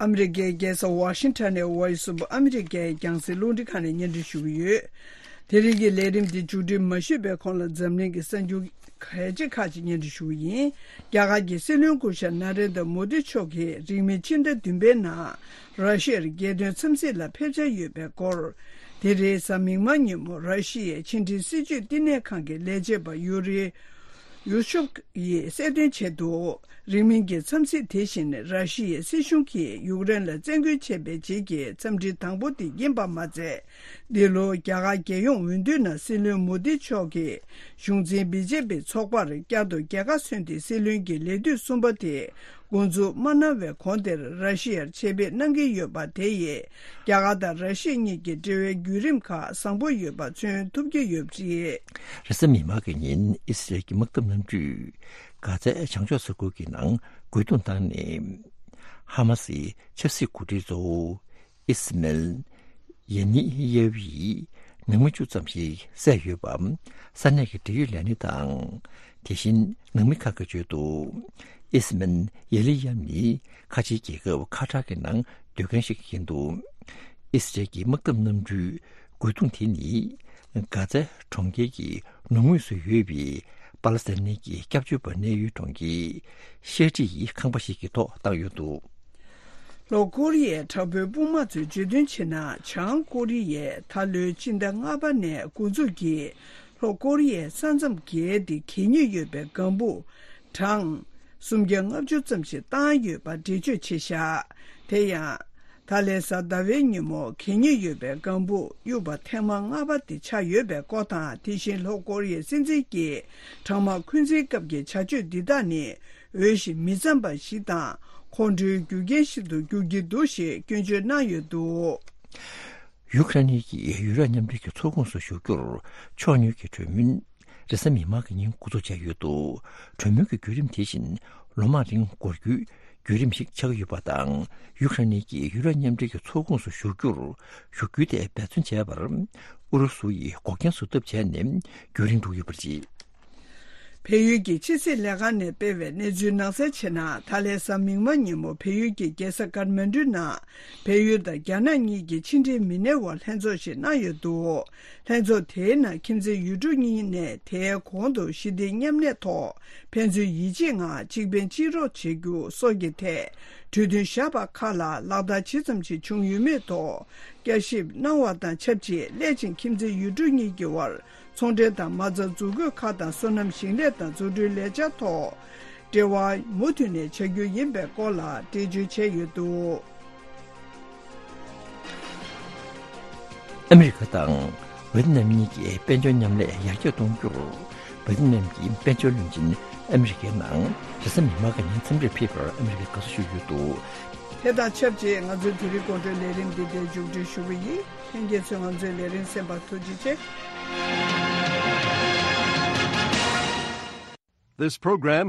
ཨ་མི་རི་ཀའི་རྒྱལ་ས་ཝ་ཤིང་ཊོན་ནས་Voice of America ཡི་རྒྱང་སྲིང་རླུང་འཕྲིན་ཁང་ནས་སྙན་སྒྲོན་ཞུ་གི་ཡོད། དེ་རིང་གི་ལས་རིམ་འདི་མཇུག་སྒྲིལ་མ་ཞུས་པའི་གོང་ལ་འཛམ་གླིང་གི་གསར་འགྱུར་གལ་ཆེ་ཁག་ཅིག་སྙན་སྒྲོན་ཞུ་གི་ཡིན། རྒྱ་གར་གྱི་སྲིད་བློན་སྐུ་ཞབས་ན་རེན་དྲ་མོ་དི་མཆོག་གིས་རིང་མིན་ཕྱི་ཟླ་བདུན་པའི་ནང་ར་ཤི་ཡར་རྒྱལ་དོན་འཚམས་གཟིགས་ལ་ཕེབས་འཆར་ཡོད་པའི་སྐོར། དེ་རེས་གཟའ་མིག་དམར་ཉིན་མོ་ར་ཤི་ཡའི་ཕྱི་འབྲེལ་སྲིད་བྱུས་བསྟི་གནས་ཁང་གི་ལས་བྱེད་པ་ཡུ་རི་ཡུ་ཤུབ་ཡིས་གསལ་སྟོན་བྱས་འདུག་རིང་མིན་གྱི་འཚམས་གཟིགས་དེ་བཞིན་ར་ཤི་ཡའི་སྲིད་གཞུང་གིས་ཡུཀ་རེན་ལ་བཙན་རྒོལ་བྱས་པའི་རྗེས་ཀྱི་འཚམས་འདྲི་དང་པོ་དེ་ཡིན་པ་མ་ཚད། འདི་ལོ་རྒྱ་གར་རྒྱལ་ཡོངས་འོས་བསྡུའི་ནང་སྲིད་བློན་མོ་དི་མཆོག་གིས་གཞུང་འཛིན་བི་ཇེ་པི་ཚོགས་པར་བསྐྱར་དུ་རྒྱལ་ཁ་སོན་ཏེ་སྲིད་བློན་གྱི་ལས་དུས་གསུམ་པ་དེ་འགོ་འཛུགས་མ་གནང་བའི་གོང་དེར་ར་ཤི་ཡར་ཆེད་ཕེབས་གནང་གི་ཡོད་པ་དེ་ཡིས་རྒྱ་གར་དང་ར་ཤི་ཡ་གཉིས་ཀྱི་འབྲེལ་བའི་བརྒྱུད་རིམ་ཁག་བཟང་པོ་ཡོད་པ་མཚོན་ཐུབ་ཀྱི་ཡོད་པ་རེད། རེས་གཟའ་མིག་དམར་གྱི་ཉིན་ཨི་སི་རལ་གྱི་དམག་འཐབ་གནམ་གྲུས་གྷ་ཛའི་བྱང་ཕྱོགས་ས་ཁུལ་གྱི་ནང་རྒོལ་རྡུང་བཏང་ནས། ཧ་མ་སིའི་ཆབ་སྲིད་འགོ་ཁྲིད་གཙོ་བོ་ཨི་སི་མེལ་ཡེ་ནི་ཡེ་ཝི་ཡིས་ནང་མི་བཅུ་ཙམ་ཞིག་བསད་ཡོད་པ་ས་གནས་ཀྱི་འབྲེལ་ཡོད་ལས་སྣེ་དང་། དེ་བཞིན་ནང་མི་ཁག་གིས་བརྗོད་འདུག་ཨི་སི་མེལ་ཡེ་ནི་ཡེ་ཝི་ནི་ཁ་ཆེའི་རྒྱལ་ཁབ་ཁ་ཏར་གྱི་ནང་སྡོད་མཁན་ཞིག་ཡིན་འདུག་ཨི་སི་རལ་གྱི་དམག་འཐབ་གནམ་གྲུའི་རྒོལ་རྡུང་དེ་ནི་གྷ་ཛའི་གྲོང་ཁྱེར་གྱི་ནུབ་ངོས་སུ་ཡོད་པའི་པ་ལ་སི་ཐན་གྱི་སྐྱབས་བཅོལ་བ་གནས་ཡུལ་གྲོང་ཁྱེར་ཤེ་ཏི་ཡི་ཁང་པ་ཞིག་གི་ཐོག་བཏང་ཡོད་འདུག་ལྷོ་ཀོ་རི་ཡའི་དྲག་པོའི་དཔུང་དམག་ཚོས་བརྗོད་དོན་བྱས་ན། བྱང་ཀོ་རི་ཡས་ད་ལོའི་སྤྱི་ཟླ་ལྔ་པ་ནས་འགོ་འཛུགས་ཀྱིས་ལྷོ་ཀོ་རི་ཡའི་ས་མཚམས་བརྒལ་ཏེ་གད་སྙིགས་ཡོད་པའི་ལྒང་བུ་གྲངས་སུམ་བརྒྱ་ལྔ་བཅུ་ཙམ་ཞིག་བཏང་ཡོད་པ་འགྲེལ་བརྗོད་བྱས་བཞག་དེ་ཡང་། ད་ལན་གཟའ་ཟླ་བའི་ཉིན་མོ་གད་སྙིགས་ཡོད་པའི་ལྒང་བུ་གཡུགས་པ་ཐེངས་མ་ལྔ་པ་དེ་ཆགས་ཡོད་པའི་སྐོར་དང་། དེ་བཞིན་ལྷོ་ཀོ་རི་ཡའི་སྲིད་འཛིན་གྱིས་གྲང་དམག་འཁོན་འཛིན་སྐབས་ཀྱི་བྱ་སྤྱོད་འདི་དག་ནི་འོས་ཤིང་མི་འཚམ་པ་ཞིག་དང་། ཁོང་ཁྲོའི་རྒྱུ་རྐྱེན་ཞིག་ཏུ་འགྱུར་གྱི་འདུག་ཞེས་སྐྱོན་བརྗོད་གནང་ཡོད་འདུག་ཡུཀ་རེན་གྱིས་ཡུ་རོབ་མཉམ་འབྲེལ་གྱི་ཚོགས་ཁོངས་སུ་ཞུགས་རྒྱུར་ཕྱོགས་གཉིས་ཀྱི་གྲོས་མོལ་རེས་གཟའ་མིག་དམར་གྱི་ཉིན་འགོ་འཛུགས་བྱས་ཡོད་འདུག་གྲོས་མོལ་གྱི་བརྒྱུད་རིམ་དེ་བཞིན་ལོ་མང་རིང་འགོར་རྒྱུའི་བརྒྱུད་རིམ་ཞིག་ཆགས་ཀྱི་ཡོད་པ་དང་། ཡུཀ་རེན་གྱིས་ཡུ་རོབ་མཉམ་འབྲེལ་གྱི་ཚོགས་ཁོངས་སུ་ཞུགས་རྒྱུར་ཞུགས་རྒྱུ་དེ་འབད་བརྩོན་བྱས་པར་ཨུ་རུ་སུ་ཡིས་འགོག་རྐྱེན་བཟོ་ཐབས་བྱས་ནས་རྒྱུན་རིང་འགྲོ་གི་ཡོད་པ་རེད། བལ་ཡུལ་གྱི་ཕྱི་སྲིད་ལས་ཁང་ནས་སྤེལ་བའི་གནས་ཚུལ་ནང་གསལ་བྱས་ན། ད་ལན་གཟའ་མིག་དམར་ཉིན་མོ་བལ་ཡུལ་གྱི་རྒྱལ་ས་ཀཱ་ཐ་མན་གྲུའི་ནང་བལ་ཡུལ་དང་རྒྱ་ནག་གཉིས་ཀྱི་ཕྱི་འབྲེལ་མི་སྣའི་དབར་ལྷན་ཚོགས་ཤིག་གནང་ཡོད་འདུག་ལྷན་ཚོགས་དེའི་ནང་ཁྱིམ་མཚེས་ཡུལ་གྲུ་གཉིས་ནས་དེའི་གོང་དུ་ཞི་བདེ་མཉམ་གནས་ཐོག་ཕན་ཚུན་ཡིད་ཆེས་ངང་གཅིག་ཕན་གཅིག་རོགས་བྱེད་རྒྱུ་སོགས་ཀྱི་ཐད་གྲོས་མཐུན་བཞག་པ་ཁག་ལ་ལག་བསྟར་ཇི་ཙམ་ཞིག་བྱུང་ཡོད་མེད་ཐོག་བསྐྱར་ཞིབ་གནང་བ་དང་ཆབས་ཅིག་སླད་ཕྱིན་ཁྱིམ་མཚེས་ཡུལ་གྲུ་གཉིས་ཀྱི་དབར་ཚོང་འབྲེལ་དང་མ་རྩ་འཛུགས་དགོས་ཁག་དང་། སོ་ནམ་ཞིང་ལས་དང་འཛུགས་སྐྲུན་ལས་འཆར་ཐོག་འབྲེལ་བ་མུ་མཐུད་ནས་བྱ་རྒྱུ་ཡིན་པའི་སྐོར་ལ་འགྲེལ་བརྗོད་བྱས་ཡོད་འདུག་ཨ་མི་རི་ཀ་དང་ཝེ་ཏི་ནམ་གཉིས་ཀྱིས་དཔལ་འབྱོར་མཉམ་ལས་ཡར་རྒྱས་གཏོང་རྒྱུར། ཝེ་ཏི་ནམ་གྱི་དཔལ་འབྱོར་བློན་ཆེན་ཨ་མི་རི་ཀའི་ནང་རེས་གཟའ་མིག་དམར་གྱི་ཉིན་འཚམས་འདྲིར་ཕེབས་པར་ཨ་མི་རི་ཀས་དགའ་བསུ་ཞུས་ཡོད་འདུག་དེ་དང་ཆབས་ཅིག་ང་ཚོའི་དེ་རིང་དགོང་དྲོའི་ལས་རིམ་འདི་འདིར་མཇུག་སྒྲིལ་ཞུ་གི་ཡིན། ལྷན་རྒྱས་ཚོས་ང་ཚོའི་ལས་རིམ་གསན་པར་ཐུགས་རྗེ་ཆེ། This program